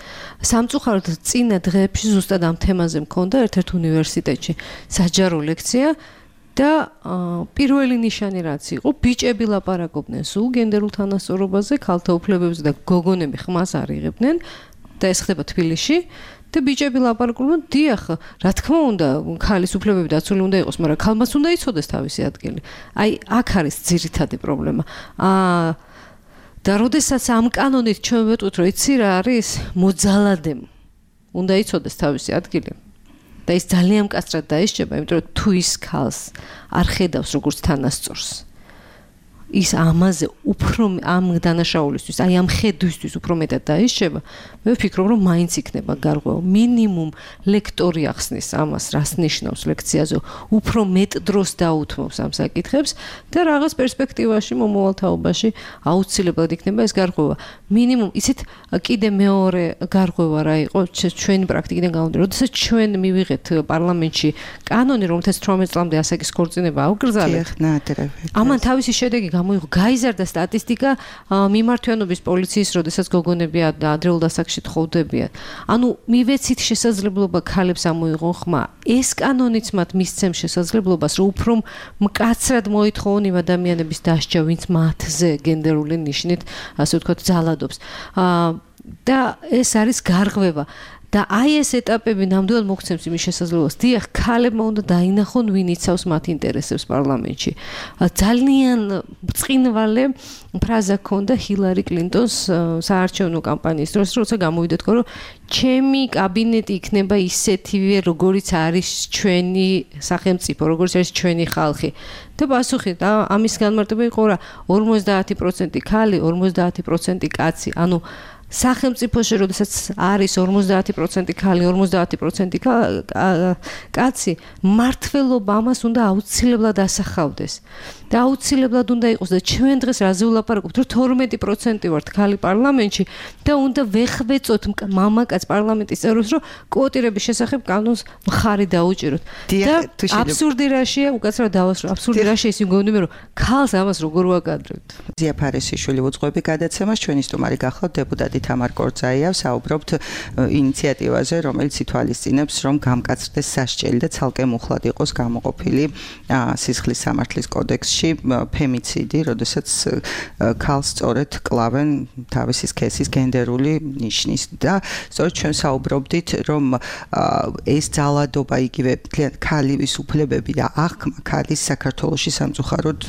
სამწუხაროდ წინა დღეებში ზუსტად ამ თემაზე მქონდა ერთ-ერთ უნივერსიტეტში საჯარო ლექცია და პირველი ნიშანი რაც იყო, ბიჭები ლაპარაკობდნენ სულ გენდერულ თანასწორობაზე, ქალთა უფლებებზე და გოგონები ხმას არ იღებდნენ და ეს ხდება თბილისში. და ბიჭები ლაპარაკობდნენ, დიახ, რა თქმა უნდა, ქალის უფლებები დაცული უნდა იყოს, მაგრამ ქალმაც უნდა იცოდეს თავისი ადგილი. აი, აქ არის ძირითადი პრობლემა. და როდესაც ამ კანონით ჩვენ ვეტყვით, რომ იცი რა არის, მოძალადემ უნდა იცოდეს თავისი ადგილი. და ის ძალიან მკაცრად დაისჯება, იმიტომ რომ თუ ის ქალს არ ხედავს როგორც თანასწორს, ის ამაზე უფრო ამ დანაშაულისთვის, აი ამ ხედვისთვის უფრო მეტად დაისჯება, მე ვფიქრობ, რომ მაინც იქნება გარღვევა. მინიმუმ ლექტორი ახსნის ამას, რას ნიშნავს ლექციაზე, უფრო მეტ დროს დაუთმობს ამ საკითხებს და რაღაც პერსპექტივაში, მომავალ თაობაში აუცილებლად იქნება ეს გარღვევა. მინიმუმ, იცით, კიდე მეორე გარღვევა რა იყო, ჩვენი პრაქტიკიდან გამომდინარე, როდესაც ჩვენ მივიღეთ პარლამენტში კანონი, რომელთაც 18 წლამდე ასაკის ქორწინება აუკრძალეთ. ამან თავისი შედეგი გამოიღო, გაიზარდა სტატისტიკა მიმართვიანობის პოლიციის, როდესაც გოგონები ადრეულ დასაქმში თხოვდებიან. ანუ მივეცით შესაძლებლობა ქალებს ამოიღონ ხმა. ეს კანონიც მათ მისცემს შესაძლებლობას, რომ უფრო მკაცრად მოითხოვონ იმ ადამიანების დასჯა, ვინც მათზე გენდერული ნიშნით, ასე ვთქვათ, ძალადობს. და ეს არის გარღვევა. და აი ეს ეტაპები ნამდვილად მოგცემს იმის შესაძლებლობას. დიახ, ქალებმა უნდა დაინახონ, ვინ იცავს მათ ინტერესებს პარლამენტში. ძალიან ბრწყინვალე ფრაზა ჰქონდა ჰილარი კლინტონს საარჩევნო კამპანიის დროს, როცა გამოვიდა თქვა, რომ ჩემი კაბინეტი იქნება ისეთივე, როგორიც არის ჩვენი სახელმწიფო, როგორიც არის ჩვენი ხალხი. და პასუხი და ამის განმარტება იყო რა, 50% ქალი, 50% კაცი. ანუ სახელმწიფოში, როდესაც არის 50% ქალი, 50% კაცი, მართლობა ამას უნდა აუცილებლად ასახავდეს. და აუცილებლად უნდა იყოს და ჩვენ დღეს რაზე ვლაპარაკობთ, რომ 12% ვართ ქალი პარლამენტში და უნდა ვეხვეწოთ მამაკაც პარლამენტის წევრებს, რომ კვოტირების შესახებ კანონს მხარი დაუჭიროთ. და აბსურდი რაშია, უკაცრავად დავასრულე, აბსურდი რაშია ის მგონია, რომ ქალს ამას როგორ ვაკადრებთ. ზია ფარესიშვილი უძღვები გადაცემას, ჩვენი სტუმარი გახლავთ დეპუტატი თამარ კორწაია, საუბრობთ ინიციატივაზე, რომელიც ითვალისწინებს, რომ გამკაცრდეს სასჯელი და ცალკე მუხლად იყოს გამოყოფილი სისხლის სამართლის კოდექსში ფემიციდი, როდესაც ქალს სწორედ კლავენ თავისი სქესის გენდერული ნიშნის და სწორედ ჩვენ საუბრობდით, რომ ეს ძალადობა იგივე ქალის უფლებები და აღქმა ქალის საქართველოში სამწუხაროდ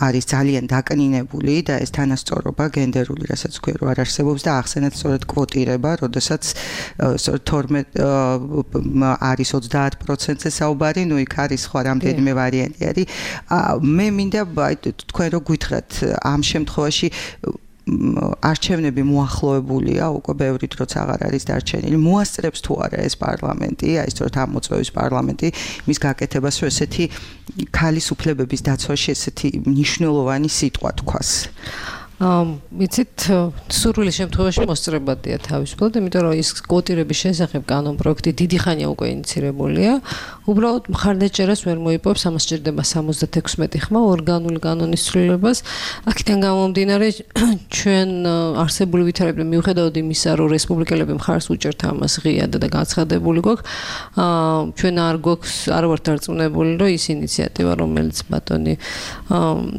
არის ძალიან დაკნინებული და ეს თანასწორობა გენდერული, რასაც ქვია, რომ არ არსებობს და ახსენეთ სწორედ კვოტირება, როდესაც სწორედ 12 არის 30%-ზე საუბარი, ნუ იქ არის სხვა რამდენიმე ვარიანტი არის. მე მინდა თქვენ რო გითხრათ ამ შემთხვევაში არჩევნები მოახლოებულია, უკვე ბევრი დროც აღარ არის დარჩენილი. მოასწრებს თუ არა ეს პარლამენტი, აი სწორედ ამ მოწვევის პარლამენტი მის გაკეთებას, რომ ესეთი ქალის უფლებების დაცვაში ესეთი მნიშვნელოვანი სიტყვა თქვას. იცით, სურვილი შემთხვევაში მოსწრებადია თავისუფლად, იმიტომ რომ ის კვოტირების შესახებ კანონ პროექტი დიდი ხანია უკვე ინიცირებულია. უბრალოდ მხარდაჭერას ვერ მოიპოვებს, ამას სჭირდება 76 ხმა ორგანული კანონის ცვლილებას. აქედან გამომდინარე, ჩვენ არსებული ვითარებები მიუხედავად იმისა, რომ რესპუბლიკელები მხარს უჭერთ ამას ღიად და გაცხადებული გვაქვს, ჩვენ არ ვართ დარწმუნებული, რომ ის ინიციატივა, რომელიც ბატონი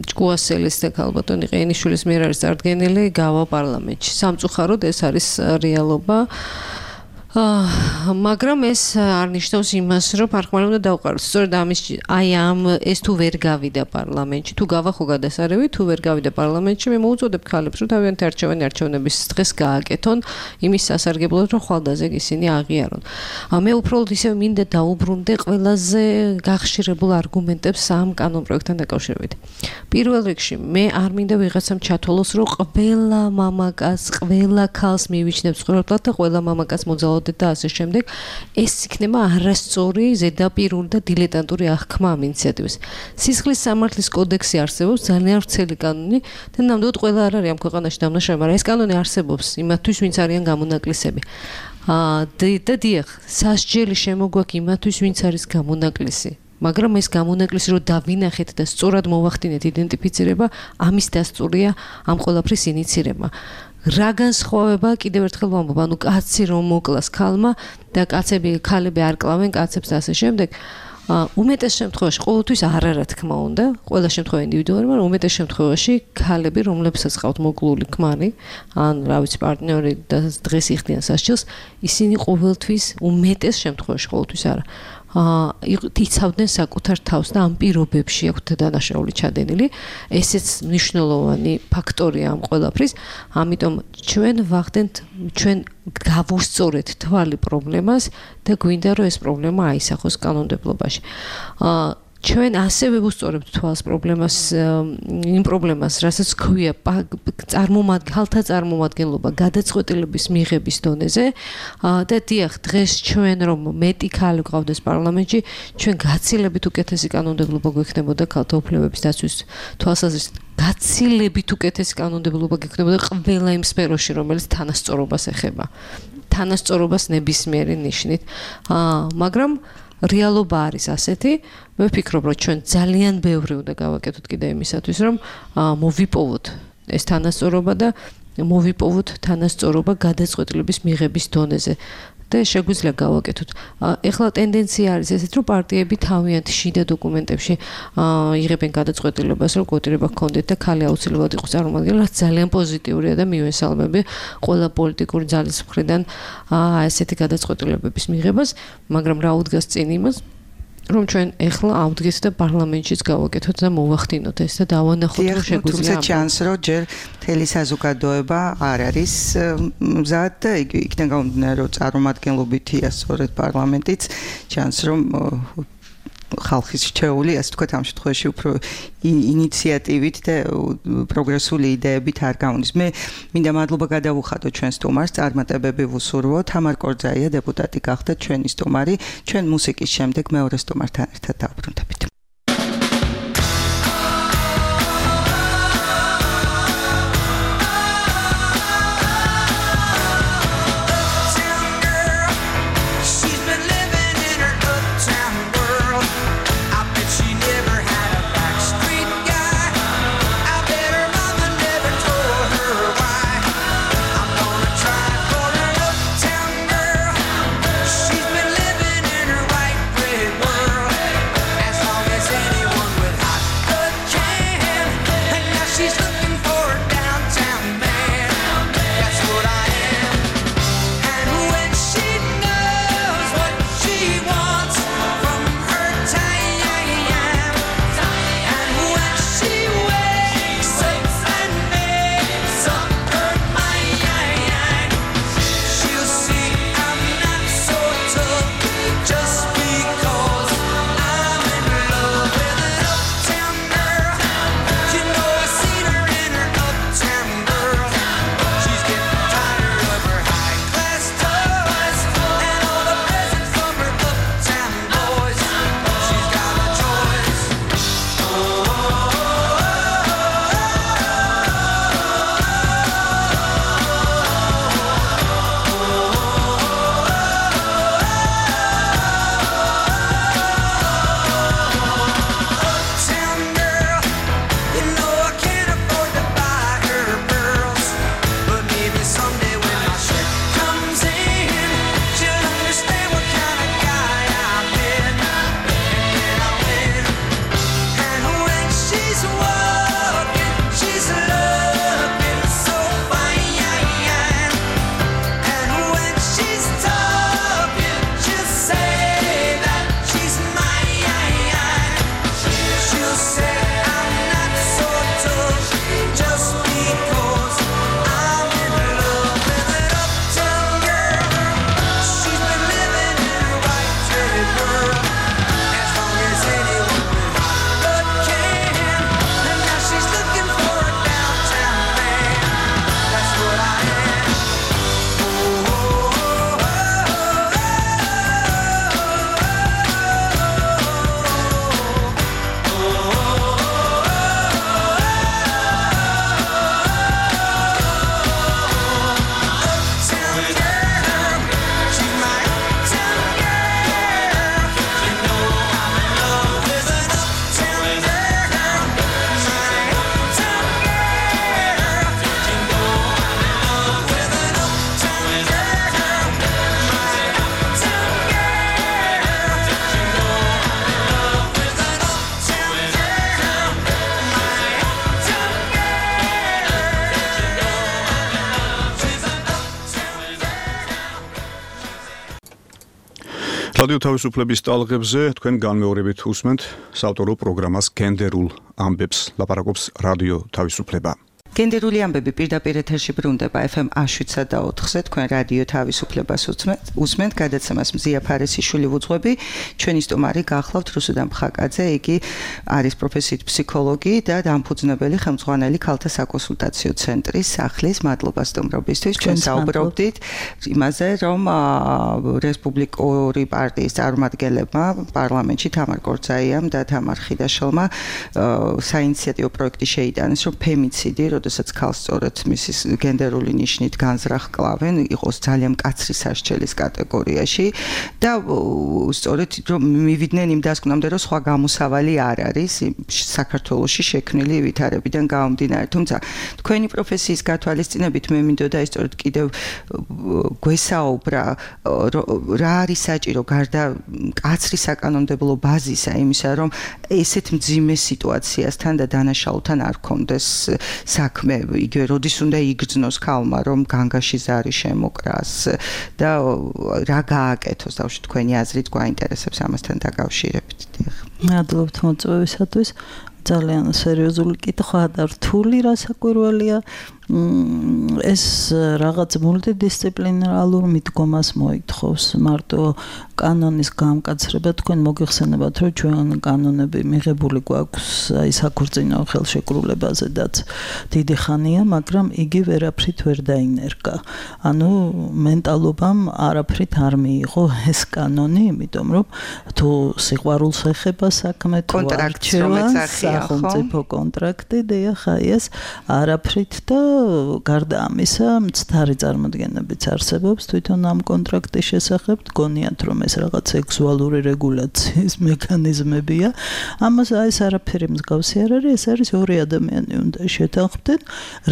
ჭკუასელის და ქალბატონი ყეინიშვილის მიერ არის წარდგენილი, გავა პარლამენტში. სამწუხაროდ ეს არის რეალობა. მაგრამ ეს არ ნიშნავს იმას, რომ პარლამენტი უნდა დავყაროთ. სწორედ ეს თუ ვერ გავიდა პარლამენტში, თუ გავა ხო გადასარევი, თუ ვერ გავიდა პარლამენტში, მე მოუწოდებ ქალებს, რომ თავიანთი არჩევნების დღეს გააკეთონ, იმის სასარგებლოდ, რომ ხვალდაზე ისინი აღიარონ. მე უბრალოდ ისე მინდა დაუბრუნდე ყველაზე გახშირებულ არგუმენტებს ამ კანონ პროექტთან დაკავშირებით. პირველ რიგში, მე არ მინდა ვიღაცამ ჩათვალოს, რომ ყველა მამაკაც, ყველა ქალს მივიჩნებს ყოველდღურად და ყველა მამაკაც მოძალოთ და ასე შემდეგ, ეს იქნება არასწორი, ზედაპირული და დილეტანტური აღქმა ამ ინიციატივას. სისხლის სამართლის კოდექსი არსებობს, ძალიან ვრცელი კანონი და ნამდვილად ყველა არ არის ამ ქვეყანაში დამნაშავე, მაგრამ ეს კანონი არსებობს იმათთვის, ვინც არიან გამონაკლისები. და დიახ, სასჯელი შემოგვაქვს იმათთვის, ვინც არის გამონაკლისი. მაგრამ ეს გამონაკლისი რო დავინახეთ და სწორად მოვახდინეთ identificირება, ამის დასწურია ამ ყველაფრის ინიცირება. რა განსხვავება კიდევ ერთხელ ვამბობ, ანუ კაცი რომ მოკლას ქალმა და ქალები არ კლავენ კაცებს და ასე შემდეგ. უმეტეს შემთხვევაში ყოველთვის არა რა თქმა უნდა, ყველა შემთხვევა ინდივიდუალური, მაგრამ უმეტეს შემთხვევაში ქალები, რომლებსაც ყავთ მოკლული ქმარი, ან რა ვიცი პარტნიორი და დღეს იხდიან სასჯელს, ისინი ყოველთვის უმეტეს შემთხვევაში ყოველთვის არა. იცავდნენ საკუთარ თავს და ამ პირობებში აქვთ დანაშაული ჩადენილი. ესეც მნიშვნელოვანი ფაქტორია ამ ყველაფრის. ამიტომ ჩვენ ვახდენთ, ჩვენ გავუსწორეთ თვალი პრობლემას და გვინდა რომ ეს პრობლემა აისახოს კანონმდებლობაში. ჩვენ ასევე ვუსწორებთ თვალს პრობლემას, იმ პრობლემას, რასაც ქვია ქალთა წარმომადგენლობა გადაწყვეტილების მიღების დონეზე და დიახ, დღეს ჩვენ რომ მეტი ქალი გვყავდეს პარლამენტში, ჩვენ გაცილებით უკეთესი კანონმდებლობა გვექნებოდა ქალთა უფლებების დაცვის თვალსაზრისით. გაცილებით უკეთესი კანონმდებლობა გექნებოდა ყველა იმ სფეროში, რომელიც თანასწორობას ეხება. თანასწორობას ნებისმიერი ნიშნით. მაგრამ რეალობა არის ასეთი, მე ვფიქრობ, რომ ჩვენ ძალიან ბევრი უნდა გავაკეთოთ კიდე იმისათვის, რომ მოვიპოვოთ ეს თანასწორობა და მოვიპოვოთ თანასწორობა გადაწყვეტილების მიღების დონეზე. და შეგვიძლია გავაკეთოთ. ეხლა ტენდენცია არის ესეთ, რომ პარტიები თავიანთი შიდა დოკუმენტებში იღებენ გადაწყვეტილებას, რომ კვოტირება ჰქონდეთ და ქალი აუცილებლად იყოს წარმომადგენელი, რაც ძალიან პოზიტიურია და მივესალმები ყველა პოლიტიკური ძალის მხრიდან ესეთი გადაწყვეტილებების მიღებას, მაგრამ რა უდგას წინ იმას, რომ ჩვენ ეხლა ავდგეთ და პარლამენტშიც გავაკეთოთ და მოვახდინოთ ეს და დავანახოთ, რომ შეგვიძლია. თუმცა ჩანს, რომ ჯერ მთელი საზოგადოება არ არის მზად და იქიდან გამომდინარე, რომ წარმომადგენლობითია სწორედ პარლამენტიც, ჩანს, რომ ხალხის რჩეული, ასე ვთქვათ, ამ შემთხვევაში უფრო ინიციატივით და პროგრესული იდეებით არ გავunis. მე მინდა მადლობა გადავუხადო ჩვენ სტუმარს, წარმატებები ვუსურვო. თამარ კორძაია დეპუტატი გახდა ჩვენი სტუმარი. ჩვენ მუსიკის შემდეგ მეორე სტუმართან ერთად დავბრუნდებით. რადიო თავისუფლების ტალღებზე თქვენ განმეორებით უსმენთ საავტორო პროგრამას გენდერულ ამბებს, ლაპარაკობს რადიო თავისუფლება. გენდერული ამბები პირდაპირ ეთერში ბრუნდება FM 107.4-ზე, თქვენ რადიო თავისუფლებას უსმენთ, გადაცემას მზია ფარესიშვილი ვუძღვები, ჩვენი სტუმარი გახლავთ რუსუდან ფხაკაძე, იგი არის პროფესიით ფსიქოლოგი და დამფუძნებელი ხელმძღვანელი ქალთა საკონსულტაციო ცენტრის სახლის. მადლობა სტუმრობისთვის. ჩვენ საუბრობდით იმაზე, რომ რესპუბლიკური პარტიის წარმომადგენლებმა პარლამენტში თამარ კორძაიამ და თამარ ხიდაშელმა საინიციატივო პროექტი შეიტანეს, რომ ფემიციდი, როდესაც ქალს სწორედ მისის გენდერული ნიშნით განზრახკლავენ, იყოს ძალიან მკაცრი სასჯელის კატეგორიაში და სწორედ რომ მივიდნენ იმ დასკვნამდე, რომ სხვა გამოსავალი არ არის საქართველოში შექმნილი ვითარებიდან გამომდინარე. თუმცა თქვენი პროფესიის გათვალისწინებით მე მინდოდა ის სწორედ კიდევ გვესაუბრა რა არის საჭირო გარდა მკაცრი საკანონმდებლო ბაზისა იმისა, რომ ესეთ მძიმე სიტუაციასთან და დანაშაულთან არ გქონდეს საქმე, იგივე როდის უნდა იგრძნოს ქალმა, რომ განგაში ზარი შემოკრას და რა გააკეთოს, დავში თქვენი აზრით გვაინტერესებს ამასთან დაკავშირებით. მადლობთ მოწვევისათვის. ძალიან სერიოზული კითხვა და რთული რასაკვირველია. ეს რაღაც მულტიდისციპლინარულ მიდგომას მოითხოვს მარტო კანონის გამკაცრება თქვენ მოგიხსენებათ რომ ჩვენ კანონები მიღებული გვაქვს აი საქორწინო ხელშეკრულებაზედაც დიდი ხანია მაგრამ იგი ვერაფრით ვერ დაინერგა ანუ მენტალობამ არაფრით არ მიიღო ეს კანონი იმიტომ რომ თუ სიყვარულს ეხება საქმე თუ არჩევა სახელმწიფო კონტრაქტი დიახ ეს არაფრით და გარდა ამისა მცდარი წარმოდგენებიც არსებობს თვითონ ამ კონტრაქტის შესახებ გონიათ რომ ეს რაღაც სექსუალური რეგულაციის მექანიზმებია ამას ეს არაფერი მსგავსი არ არის ეს არის ორი ადამიანი უნდა შეთანხმდნენ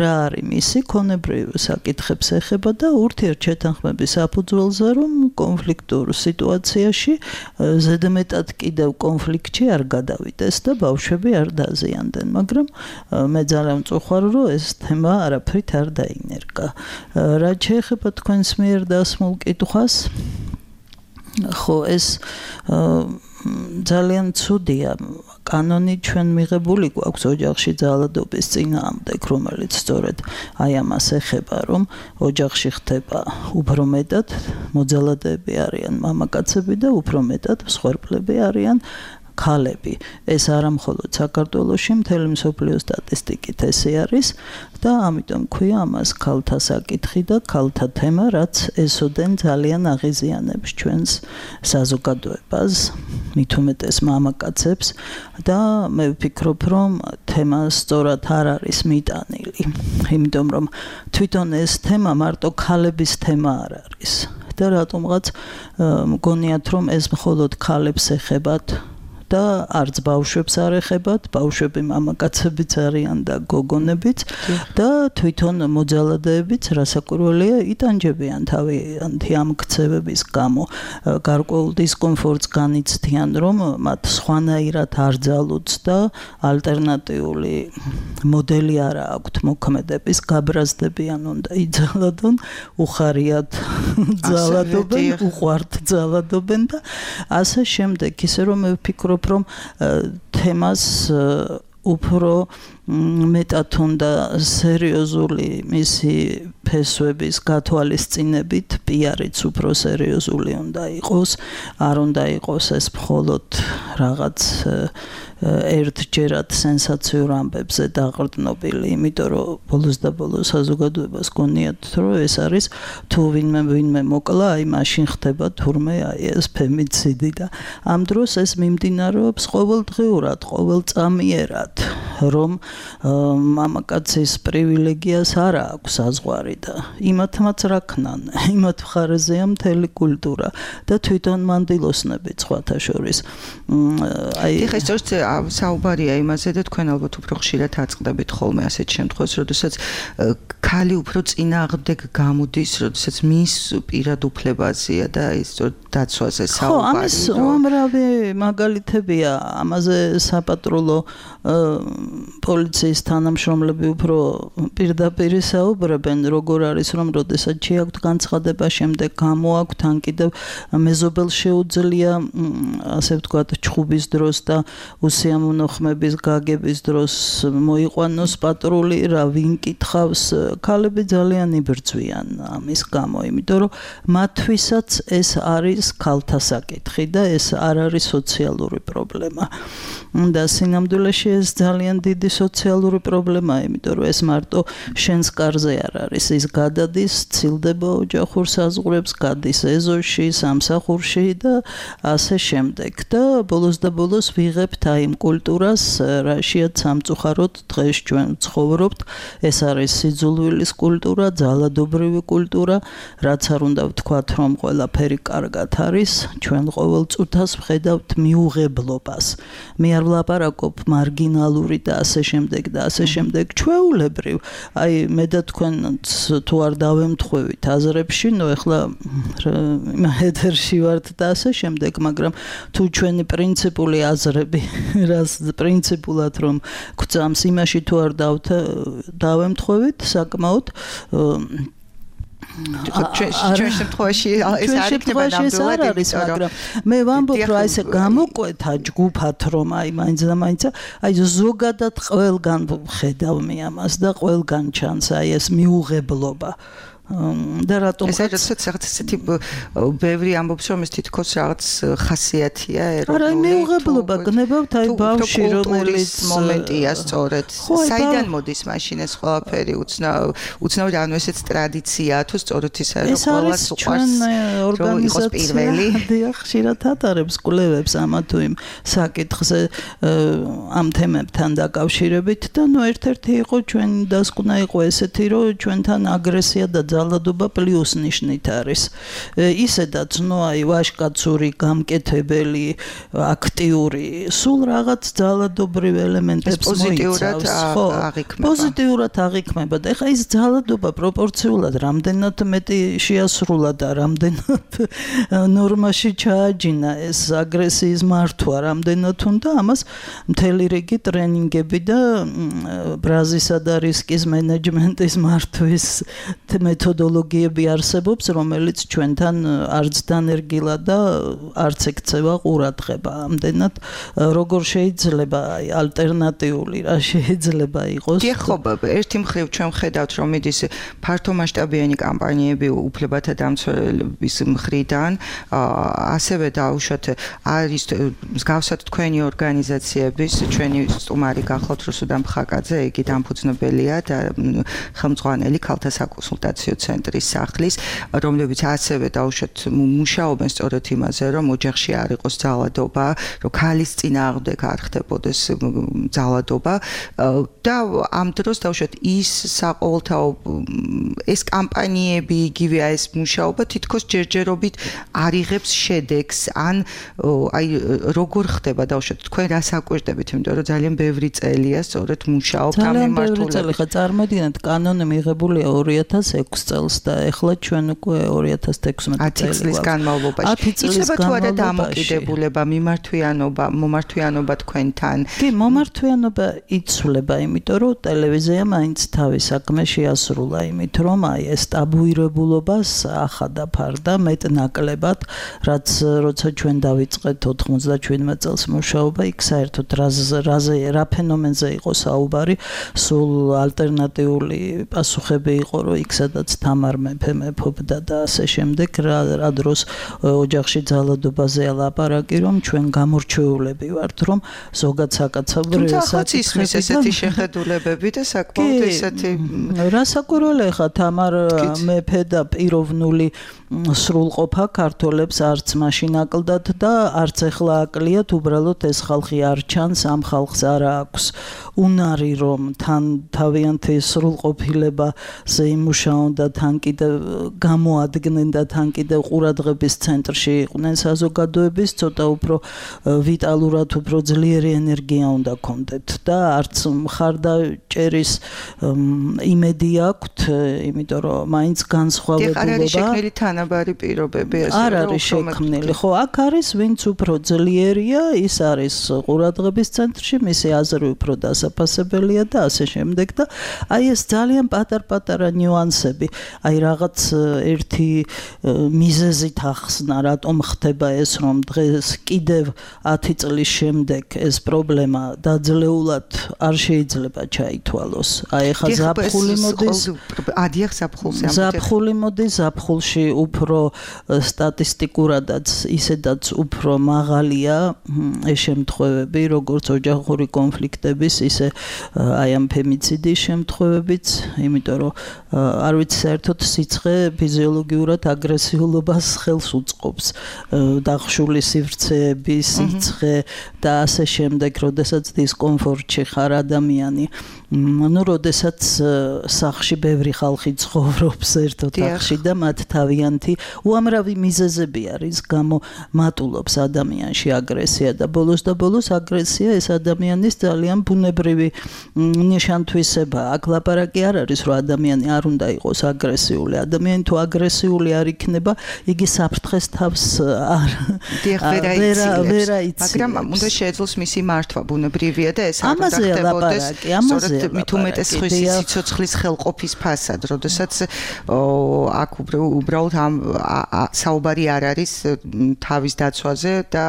რა არის მისი ქონებრივი საკითხებს ეხება და ურთიერთშეთანხმების საფუძველზე რომ კონფლიქტურ სიტუაციაში ზედმეტად კიდევ კონფლიქტში არ გადავიდეს და ბავშვები არ დაზიანდნენ მაგრამ მე ძალიან მწუხარ რომ ეს თემა არაფრით არ დაინერგა რაც შეეხება თქვენს მიერ დასმულ კითხვას ხო ეს ძალიან ცუდია კანონი ჩვენ მიღებული გვაქვს ოჯახში ძალადობის წინააღმდეგ რომელიც სწორედ აი ამას ეხება რომ ოჯახში ხდება უფრო მეტად მოძალადეები არიან მამაკაცები და უფრო მეტად მსხვერპლები არიან ქალები ეს არა მხოლოდ საქართველოში მთელი მსოფლიოს სტატისტიკით ესე არის და ამიტომ ქვია ამას ქალთა საკითხი და ქალთა თემა რაც ესოდენ ძალიან აღიზიანებს ჩვენს საზოგადოებას მით უმეტეს მამაკაცებს და მე ვფიქრობ რომ თემა სწორად არ არის მიტანილი იმიტომ რომ თვითონ ეს თემა მარტო ქალების თემა არ არის და რატომღაც მგონიათ რომ ეს მხოლოდ ქალებს ეხებათ და არც ბავშვებს არ ეხებათ, ბავშვები მამაკაცებიც არიან და გოგონებიც და თვითონ მოძალადეებიც რასაკვირველია იტანჯებიან თავიანთი ამ ქცევების გამო, გარკვეულ დისკომფორტს განიცდიან, რომ მათ სხვანაირად არ ძალუც და ალტერნატიული მოდელი არ აქვთ მოქმედების, გაბრაზდებიან უნდა იძალადონ, უხარიათ ძალადობენ, უყვართ ძალადობენ და ასე შემდეგ, ისე რომ მე ვფიქრობ რომ თემას უფრო მეტად უნდა სერიოზული მისი ფესვების გათვალისწინებით პიარიც უფრო სერიოზული უნდა იყოს არ უნდა იყოს ეს მხოლოდ რაღაც ერთჯერად სენსაციურ ამბებზე დაყრდნობილი იმიტომ რომ ბოლოს და ბოლოს საზოგადოებას გონიათ რომ ეს არის თუ ვინმე მოკლა აი მაშინ ხდება თურმე აი ეს ფემიციდი და ამ დროს ეს მიმდინარეობს ყოველდღიურად ყოველწამიერად რომ მამაკაცის პრივილეგიას არ აქვს საზღვარი და იმათმაც რა ქნან იმათ მხარეზეა მთელი კულტურა და თვითონ მანდილოსნები სხვათა შორის აი ეხლა სწორედ საუბარია იმაზე და თქვენ ალბათ უფრო ხშირად აწყდებით ხოლმე ასეთ შემთხვევას როდესაც ქალი უფრო წინააღმდეგ გამოდის როდესაც მის პირად უფლებაზეა და ის სწორედ დაცვაზე საუბარი ხო ამის უამრავი მაგალითებია ამაზე საპატრულო პოლიციის თანამშრომლები უფრო პირდაპირ საუბრობენ როგორ არის რომ როდესაც შეაქვთ განცხადება შემდეგ გამოაქვთ ან კიდევ მეზობელ შეუძლია ასე ვთქვათ ჩხუბის დროს და უსიამოვნო ხმების გაგების დროს მოიყვანოს პატრული რა ვინ კითხავს ქალები ძალიან იბრძვიან ამის გამო იმიტომ რომ მათთვისაც ეს არის ქალთა საკითხი და ეს არ არის სოციალური პრობლემა და სინამდვილეში ეს ძალიან დიდი სოციალური პრობლემაა, იმიტომ რომ ეს მარტო შენს კარზე არ არის, ის გადადის, ცილდება ოჯახურ საზღვრებს, გადის ეზოში, სამსახურში და ასე შემდეგ. და ბოლოს და ბოლოს ვიღებთ აი იმ კულტურას, რაშიაც სამწუხაროდ დღეს ჩვენ ცხოვრობთ, ეს არის სიძულვილის კულტურა, ძალადობრივი კულტურა, რაც არ უნდა ვთქვათ, რომ ყველაფერი კარგად არის, ჩვენ ყოველ წუთას ვხედავთ მიუღებლობას. მე არ ვლაპარაკობ მარგინალური და ასე შემდეგ და ასე შემდეგ ჩვეულებრივ. აი მე და თქვენც თუ არ დავემთხვევით აზრებში, ნუ ეხლა ეთერში ვართ და ასე შემდეგ, მაგრამ თუ ჩვენი პრინციპული აზრები, რას პრინციპულად რომ გვწამს იმაში თუ არ დავემთხვევით, საკმაოდ ჩვენ შემთხვევაში ეს არ იქნება ნამდვილად, მაგრამ მე ვამბობ, რომ აი ესე გამოკვეთა ჯგუფად, რომ აი მაინც და მაინც აი ზოგადად ყველგან ხედავ მე ამას და ყველგან ჩანს აი ეს მიუღებლობა. და რატომ რაღაც ესეთი ბევრი ამბობს რომ ეს თითქოს რაღაც ხასიათია ეროვნული. არა, მიუღებლობა გნებავთ აი ბავშვი რომელიც მომენტია სწორედ. საიდან მოდის მაშინ ეს ყველაფერი უცნაური ანუ ესეც ტრადიციაა თუ სწორედ ისე რომ ყველას უყვარს ორგანიზაცია პირველი. დიახ, ხშირად ატარებს კვლევებს ამა თუ იმ საკითხზე ამ თემებთან დაკავშირებით და ნუ ერთ-ერთი იყო ჩვენ დასკვნა იყო ესეთი რომ ჩვენთან აგრესია და ძალადობა პლუს ნიშნით არის. ისედაც ნუ აი ვაჟკაცური, გამკეთებელი, აქტიური, სულ რაღაც ძალადობრივ ელემენტებს მოიცავს. ხო, პოზიტიურად აღიქმება და ეხლა ის ძალადობა პროპორციულად რამდენად მეტი შეასრულა და რამდენად ნორმაში ჩააჯინა ეს აგრესიის მართვა, რამდენად უნდა ამას მთელი რიგი ტრენინგები და ბრაზისა და რისკის მენეჯმენტის მართვის მეთოდოლოგიები არსებობს, რომელიც ჩვენთან არც დანერგილა და არც ექცევა ყურადღება. ამდენად როგორ შეიძლება ალტერნატიული რა შეიძლება იყოს? ხო, ერთი მხრივ ჩვენ ხედავთ, რომ მიდის ფართომასშტაბიანი კამპანიები უფლებათა დამცველების მხრიდან, ასევე დაუშვათ არის მსგავსად თქვენი ორგანიზაციების, ჩვენი სტუმარი გახლავთ რუსუდან ფხაკაძე, იგი დამფუძნებელია და ხელმძღვანელი ქალთა საკონსულტაციო ცენტრის სახლის, რომლებიც ასევე დაუშვათ მუშაობენ სწორედ იმაზე, რომ ოჯახში არ იყოს ძალადობა, რომ ქალის წინააღმდეგ არ ხდებოდეს ძალადობა და ამ დროს დაუშვათ ის საყოველთაო ეს კამპანიები იგივე ეს მუშაობა თითქოს ჯერჯერობით არ იღებს შედეგს ან აი როგორ ხდება დაუშვათ თქვენ რას აკვირდებით, იმიტომ რომ ძალიან ბევრი წელია სწორედ მუშაობთ ამ მიმართულებით. ძალიან ბევრი წელი ხა წარმოდინეთ კანონი მიღებულია 2006 წელს და ეხლა ჩვენ უკვე 2016 წელი წლის განმავლობაში. იცება თუ არა დამოკიდებულება, მომართვიანობა თქვენთან? კი, მომართვიანობა იცვლება, იმიტომ რომ ტელევიზია მაინც თავის საქმე შეასრულა იმით, რომ აი ეს ტაბუირებულობას ახადა ფარდა მეტნაკლებად, რაც როცა ჩვენ დავიწყეთ 97 წელს მუშაობა, იქ საერთოდ რა ფენომენზე იყო საუბარი, სულ ალტერნატიული პასუხები იყო, რომ იქ სადაც თამარ მეფე მეფობდა და ასე შემდეგ, რა დროს ოჯახში ძალადობაზე ლაპარაკი, რომ ჩვენ გამორჩეულები ვართ, რომ ზოგად საკაცობრიო საკითხები ესეთი შეხედულებები და საკმაოდ ესეთი რასაკვირველია ხა თამარ მეფე და პიროვნული სრულყოფა ქართველებს არც მაშინ აკლდათ და არც ეხლა აკლიათ, უბრალოდ ეს ხალხი არ ჩანს, ამ ხალხს არ აქვს უნარი რომ თან თავიანთი სრულყოფილებაზე იმუშაონ და თან კიდევ გამოადგნენ და თან კიდევ ყურადღების ცენტრში იყვნენ საზოგადოების, ცოტა უფრო ვიტალურად, უფრო ძლიერი ენერგია უნდა ქონდეთ და არც მხარდაჭერის იმედი აქვთ, იმიტომ რომ მაინც განსხვავებულობა არ არის შექმნილი თანაბარი პირობები ასე არ არის შექმნილი. ხო, აქ არის ვინც უფრო ძლიერია, ის არის ყურადღების ცენტრში, მისი აზრი უფრო დასაფასებელია და ასე შემდეგ და აი ეს ძალიან პატარ-პატარა ნიუანსები, აი რაღაც ერთი მიზეზით ახსნა, რატომ ხდება ეს, რომ დღეს კიდევ 10 წლის შემდეგ ეს პრობლემა დაძლეულად არ შეიძლება ჩაითვალოს. აი ეხა ზაფხული მოდის, ზაფხული მოდის, ზაფხულში უფრო სტატისტიკურადაც ისედაც უფრო მაღალია ეს შემთხვევები, როგორც ოჯახური კონფლიქტების, ისე აი ამ ფემიციდის შემთხვევებიც, იმიტომ რომ არ ვიცი საერთოდ სიცხე ფიზიოლოგიურად აგრესიულობას ხელს უწყობს, დახშული სივრცეები, სიცხე და ასე შემდეგ, როდესაც დისკომფორტში ხარ ადამიანი. ну, როდესაც სახში ბევრი ხალხი ცხოვრობს ერთ ოთახში და მათ თავიანთი მომენტი, უამრავი მიზეზები არის, გამო მატულობს ადამიანში აგრესია და ბოლოს აგრესია ეს ადამიანის ძალიან ბუნებრივი ნიშანთვისება. აქ ლაპარაკი არ არის, რომ ადამიანი არ უნდა იყოს აგრესიული. ადამიანი თუ აგრესიული არ იქნება, იგი საფრთხეს თავს ვერ აიცილებს. მაგრამ უნდა შეეძლოს მისი მართვა ბუნებრივია და ეს არ უნდა ხდებოდეს. სწორედ მით უმეტეს სიცოცხლის ხელყოფის ფასად, როდესაც აქ უბრალოდ ამ საუბარი არ არის თავის დაცვაზე და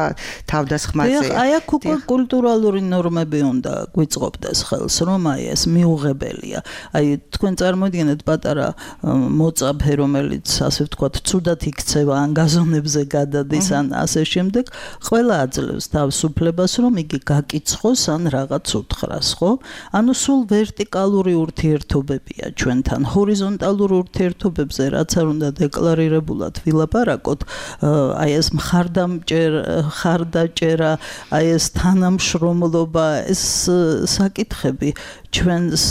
თავდასხმაზე. აი აქ უკვე კულტურალური ნორმები უნდა გვიწყობდეს ხელს, რომ აი ეს მიუღებელია. აი თქვენ წარმოიდგინეთ პატარა მოწაფე, რომელიც ასე ვთქვათ, ცუდად იქცევა ან გაზონებზე გადადის ან ასე შემდეგ, ყველა აძლევს თავისუფლებას, რომ იგი გაკიცხოს ან რაღაც უთხრას, ხო? ანუ სულ ვერტიკალური ურთიერთობებია ჩვენთან. ჰორიზონტალურ ურთიერთობებზე რაც არ უნდა დეკლარირებულად ვილაპარაკოთ, აი ეს მხარდაჭერა, აი ეს თანამშრომლობა, ეს საკითხები ჩვენს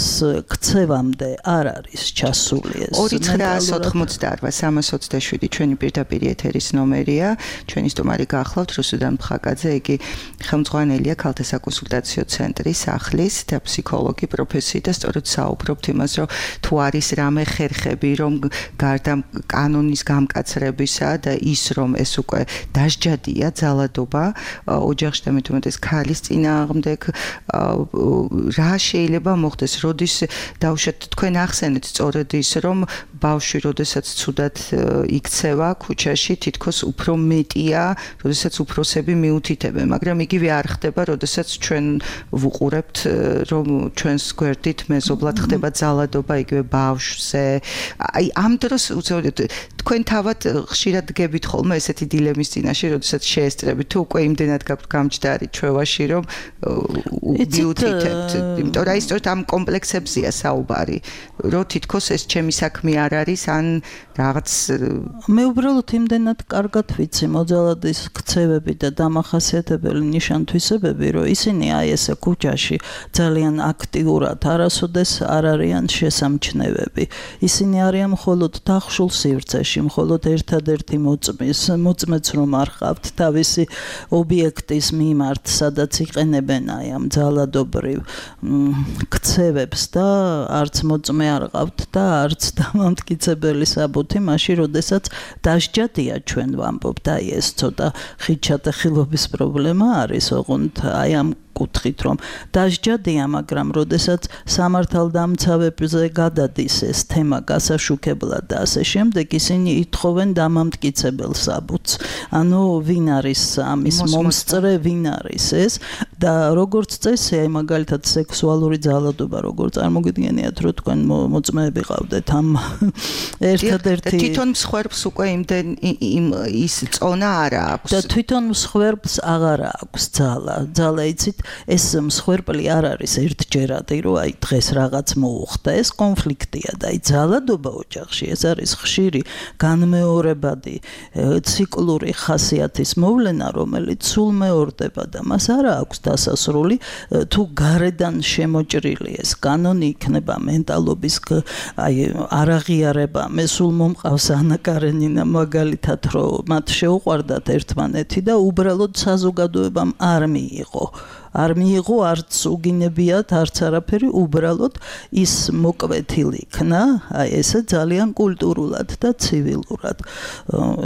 ქცევამდე არ არის ჩასული ეს. 2988327 ჩვენი პირდაპირ ეთერის ნომერია. ჩვენი სტუმარი გახლავთ რუსუდან მხაკაძე, იგი ხელმძღვანელია ქალთა საკონსულტაციო ცენტრის ახლის და ფსიქოლოგი პროფესიით და სწორედ საუბრობთ იმას, რომ თუ არის რამე ხერხები, რომ გარდა კანონის გამკაცრებისა და ის რომ ეს უკვე დასჯადია ძალადობა ოჯახში და მით უმეტეს ქალის წინააღმდეგ, რა შეიძლება მოხდეს, როდის დავუშვათ თქვენ ახსენეთ სწორედ ის, რომ ბავშვი როდესაც ცუდად იქცევა ქუჩაში, თითქოს უფრო მეტია, როდესაც უფროსები მიუთითებენ, მაგრამ იგივე არ ხდება, როდესაც ჩვენ ვუყურებთ, რომ ჩვენს გვერდით მეზობლად ხდება ძალადობა იგივე ბავშვზე. აი ამ დროს უცებად თქვენ თავად ხშირად გებით ხოლმე ესეთი დილემის წინაშე, როდესაც შეესწრებით, თუ უკვე იმდენად გაქვთ გამჯდარი ჩვევაში, რომ მიუთითებთ. იმიტომ რომ სწორედ ამ კომპლექსებზია საუბარი, რომ თითქოს ეს ჩემი საქმე არ არის, ან რაღაც მე უბრალოდ იმდენად კარგად ვიცი მოძალადის ქცევები და დამახასიათებელი ნიშანთვისებები, რომ ისინი აი ესე ქუჩაში ძალიან აქტიურად არასოდეს არ არიან შესამჩნევები. ისინი არიან მხოლოდ დახშულ სივრცეში, მხოლოდ ერთადერთი მოწმეც რომ არ ხავთ თავისი ობიექტის მიმართ, სადაც იყენებენ აი ამ ძალადობრივ ქცევებს და არც მოწმე არ ყავთ და არც დამამტკიცებელი საბუთი, მაშინ როდესაც დასჯადია ჩვენ ვამბობთ, აი ეს ცოტა ხილობის პრობლემა არის, ოღონდ აი ამ კუთხით რომ დასჯადია, მაგრამ როდესაც სამართალდამცავებზე გადადის ეს თემა გასაშუქებლად და ასე შემდეგ, ისინი ითხოვენ დამამტკიცებელ საბუთს. ანუ ვინ არის ამის მომსწრე, ვინ არის ეს და როგორც წესი, აი მაგალითად სექსუალური ძალადობა, როგორ წარმოგიდგენიათ, რომ თქვენ მოწმეები ყავდეთ ამ ერთადერთი თვითონ მსხვერპლს უკვე ის წონა არ აქვს და თვითონ მსხვერპლს აღარ აქვს ძალა იცით ეს მსხვერპლი არ არის ერთჯერადი, რომ აი დღეს რაღაც მოუხდა, ეს კონფლიქტია და აი ძალადობა ოჯახში ეს არის ხშირი განმეორებადი ციკლური ხასიათის მოვლენა, რომელიც სულ მეორდება და მას არ აქვს დასასრული, თუ გარედან შემოჭრილი ეს კანონი იქნება მენტალობის აი არაღიარება. მე სულ მომყავს ანა კარენინა მაგალითად, რომ მათ შეუყვარდათ ერთმანეთი და უბრალოდ საზოგადოებამ არ მიიღო არც უგინებიათ, არც არაფერი, უბრალოდ ის მოკვეთილი იქნა, აი ესე ძალიან კულტურულად და ცივილურად.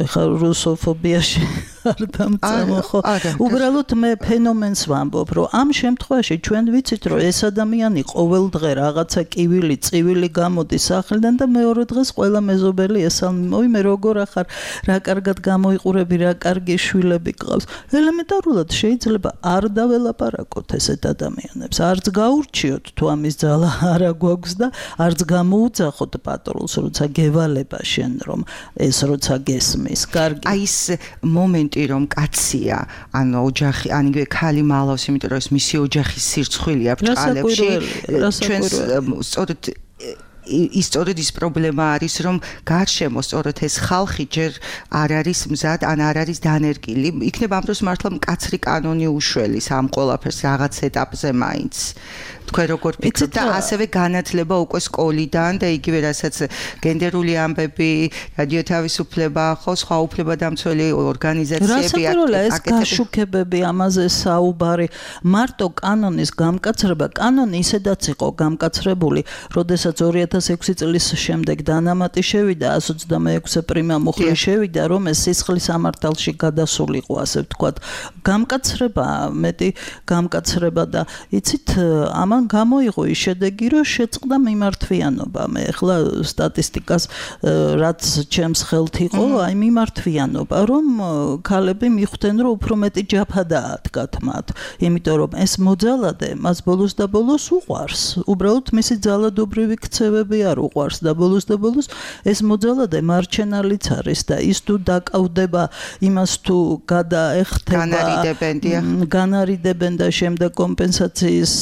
ეხლა რუსოფობიაში არ დამწამო ხო. უბრალოდ მე ფენომენს ვამბობ, რომ ამ შემთხვევაში ჩვენ ვიცით, რომ ეს ადამიანი ყოველდღე რაღაცა კივილი, წივილი გამოდის სახლიდან და მეორე დღეს ყველა მეზობელი ესალმი, მე როგორ ახარ, რა კარგად გამოიყურები, რა კარგი შვილები გყავს. ელემენტარულად შეიძლება არ დაველაპარაკოთ ესეთ ადამიანებს, არც გაურჩიოთ თუ ამის ძალა არა გვაქვს და არც გამოუძახოთ პატრულს, როცა გევალება შენ რომ ეს როცა გესმის. კარგი. აი ეს მომენტი რომ კაცია, ანუ ოჯახი, ან იგივე ქალი მალავს, იმიტომ რომ ეს მისი ოჯახის სირცხვილია ბრჭყალებში. ჩვენს სწორედ ის სწორედ ის პრობლემა არის, რომ გარშემო სწორედ ეს ხალხი ჯერ არ არის მზად, ან არ არის დანერგილი. იქნება ამ დროს მართლა მკაცრი კანონი უშველის ამ ყველაფერს რაღაც ეტაპზე მაინც. თქვენ როგორ ფიქრობთ და ასევე განათლება უკვე სკოლიდან და იგივე რასაც გენდერული ამბები, რადიო თავისუფლება, ხო სხვა უფლებადამცველი ორგანიზაციები ეს გაშუქებები, ამაზე საუბარი, მარტო კანონის გამკაცრება, კანონი ისედაც იყო გამკაცრებული, როდესაც 2006 წლის შემდეგ დანამატი შევიდა 126 პრიმა მუხლი შევიდა, რომ ეს სისხლის სამართალში გადასულიყო, ასე ვთქვათ. გამკაცრება, მეტი გამკაცრება და იცით, ამან გამოიღო ის შედეგი, რომ შეწყდა მიმართვიანობა. მე ახლა სტატისტიკას რაც ჩემს ხელთ იყო, აი მიმართვიანობა, რომ ქალები მიხვდნენ, რომ უფრო მეტი ჯაფა დაადგათ მათ, იმიტომ რომ ეს მოძალადე მას ბოლოს და ბოლოს უყვარს. უბრალოდ მისი ძალადობრივი ქცევები არ უყვარს და ბოლოს და ბოლოს ეს მოძალადე მარჩენალიც არის და ის თუ დაკავდება იმას თუ გადაეხტება განარიდებენ და შემდეგ კომპენსაციის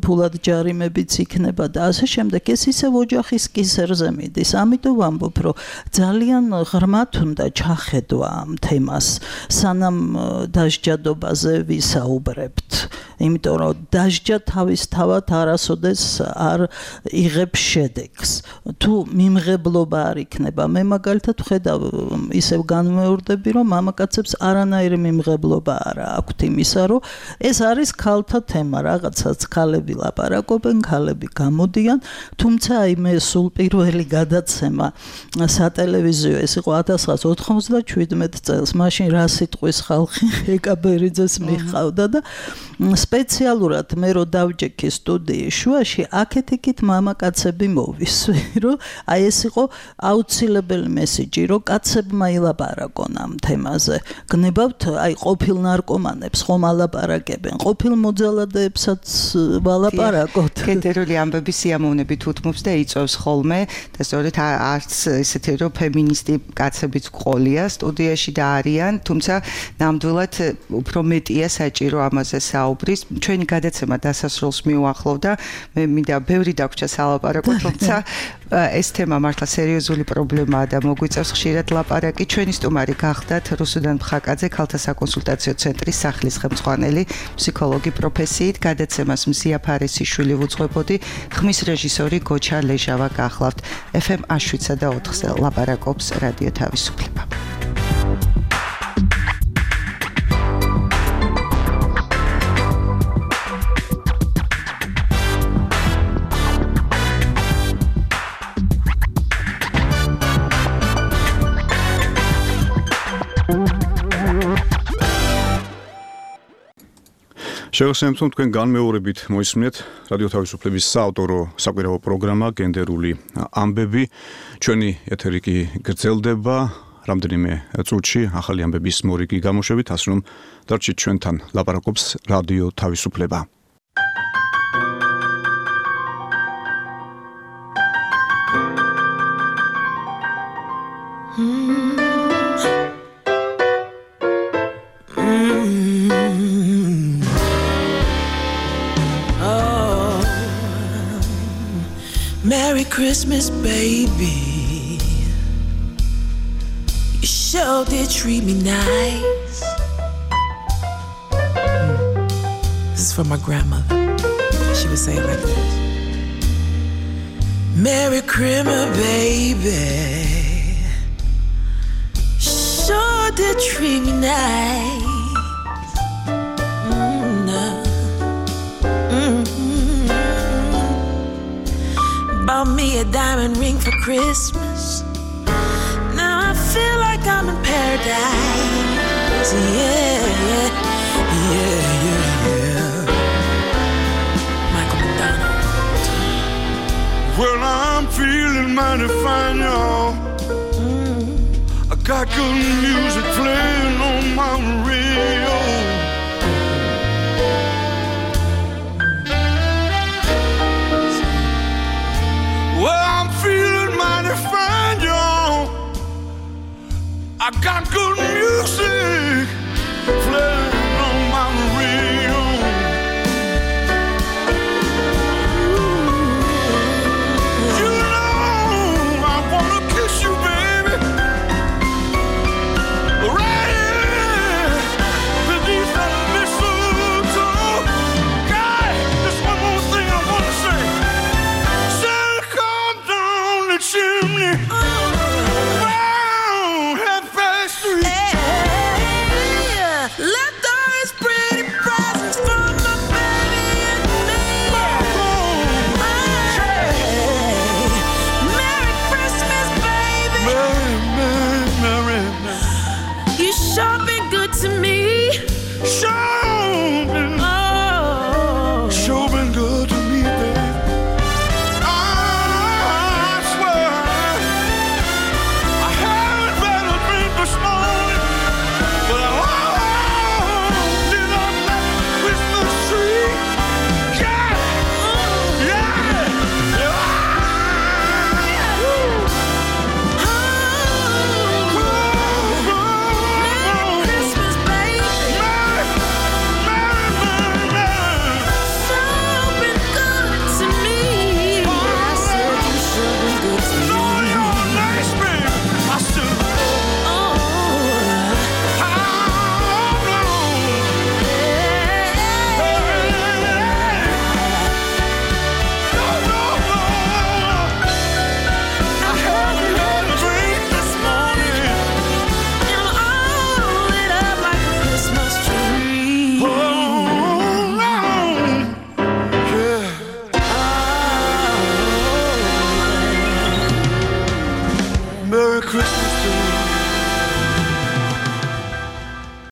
ფულად ჯარიმებიც იქნება და ასე შემდეგ ეს ისევ ოჯახის კისერზე მიდის. ამიტომ ვამბობ, რომ ძალიან ღრმად უნდა ჩახედვა ამ თემას, სანამ დასჯადობაზე ვისაუბრებთ. იმიტომ რომ დასჯა თავისთავად არასოდეს არ იღებს შედეგს. თუ მიმღებლობა არ იქნება, მე მაგალითად ვხედავ ისევ განმეორდები, რომ მამაკაცებს არანაირი მიმღებლობა არ აქვთ იმისა, რომ ეს არის ქალთა თემა, რაღაცაც ქალები ლაპარაკობენ, ქალები გამოდიან, თუმცა აი მე სულ პირველი გადაცემა სატელევიზიო ეს იყო 1997 წელს, მაშინ რა სიტყვის ხალხი ეკაბერიძეს მიხავდა და სპეციალურად მე რო დავჯექი სტუდიის შუაში, აქეთ-იქით მამაკაცები მოვისვი, რომ აი ეს იყო აუცილებელი მესიჯი, რომ კაცებმა ილაპარაკონ ამ თემაზე. გნებავთ აი ყოფილ ნარკომანებს ხომ ალაპარაკებენ, ყოფილ მოძალადეებსაც ვალაპარაკოთ. გენდერული ამბები სიამოვნებით უთმობს და იწვევს ხოლმე და სწორედ არც ესეთი რომ ფემინისტი კაცებიც ყოლია სტუდიაში და არიან, თუმცა ნამდვილად უფრო მეტია საჭირო ამაზე საუბრის. ჩვენი გადაცემა დასასრულს მიუახლოვდა, მე მინდა ბევრი დაგვრჩა სალაპარაკო, თუმცა ეს თემა მართლა სერიოზული პრობლემაა და მოგვიწევს ხშირად ლაპარაკი. ჩვენი სტუმარი გახდათ რუსუდან მხაკაძე, ქალთა საკონსულტაციო ცენტრის სახლის ხელმძღვანელი, ფსიქოლოგი პროფესიით. გადაცემას მზია ფარესიშვილი ვუძღვებოდი, ხმის რეჟისორი გოჩა ლეჟავა გახლავთ. FM 7/4-ზე ლაპარაკობს რადიო თავისუფლება. შევახსენებთ, რომ თქვენ განმეორებით მოისმინეთ რადიო თავისუფლების საავტორო საკვირაო პროგრამა გენდერული ამბები. ჩვენი ეთერი კი გრძელდება რამდენიმე წუთში ახალი ამბების მორიგი გამოშვებით, ასე რომ დარჩით ჩვენთან, ლაპარაკობს რადიო თავისუფლება. Merry Christmas, baby. You sure did treat me nice. This is for my grandmother. She would say it like this. Merry Christmas, baby. Sure did treat me nice. Bought me a diamond ring for Christmas. Now I feel like I'm in paradise. Yeah, yeah, yeah, yeah, yeah. Michael McDonald. Well, I'm feeling mighty fine, y'all. I got good music playing on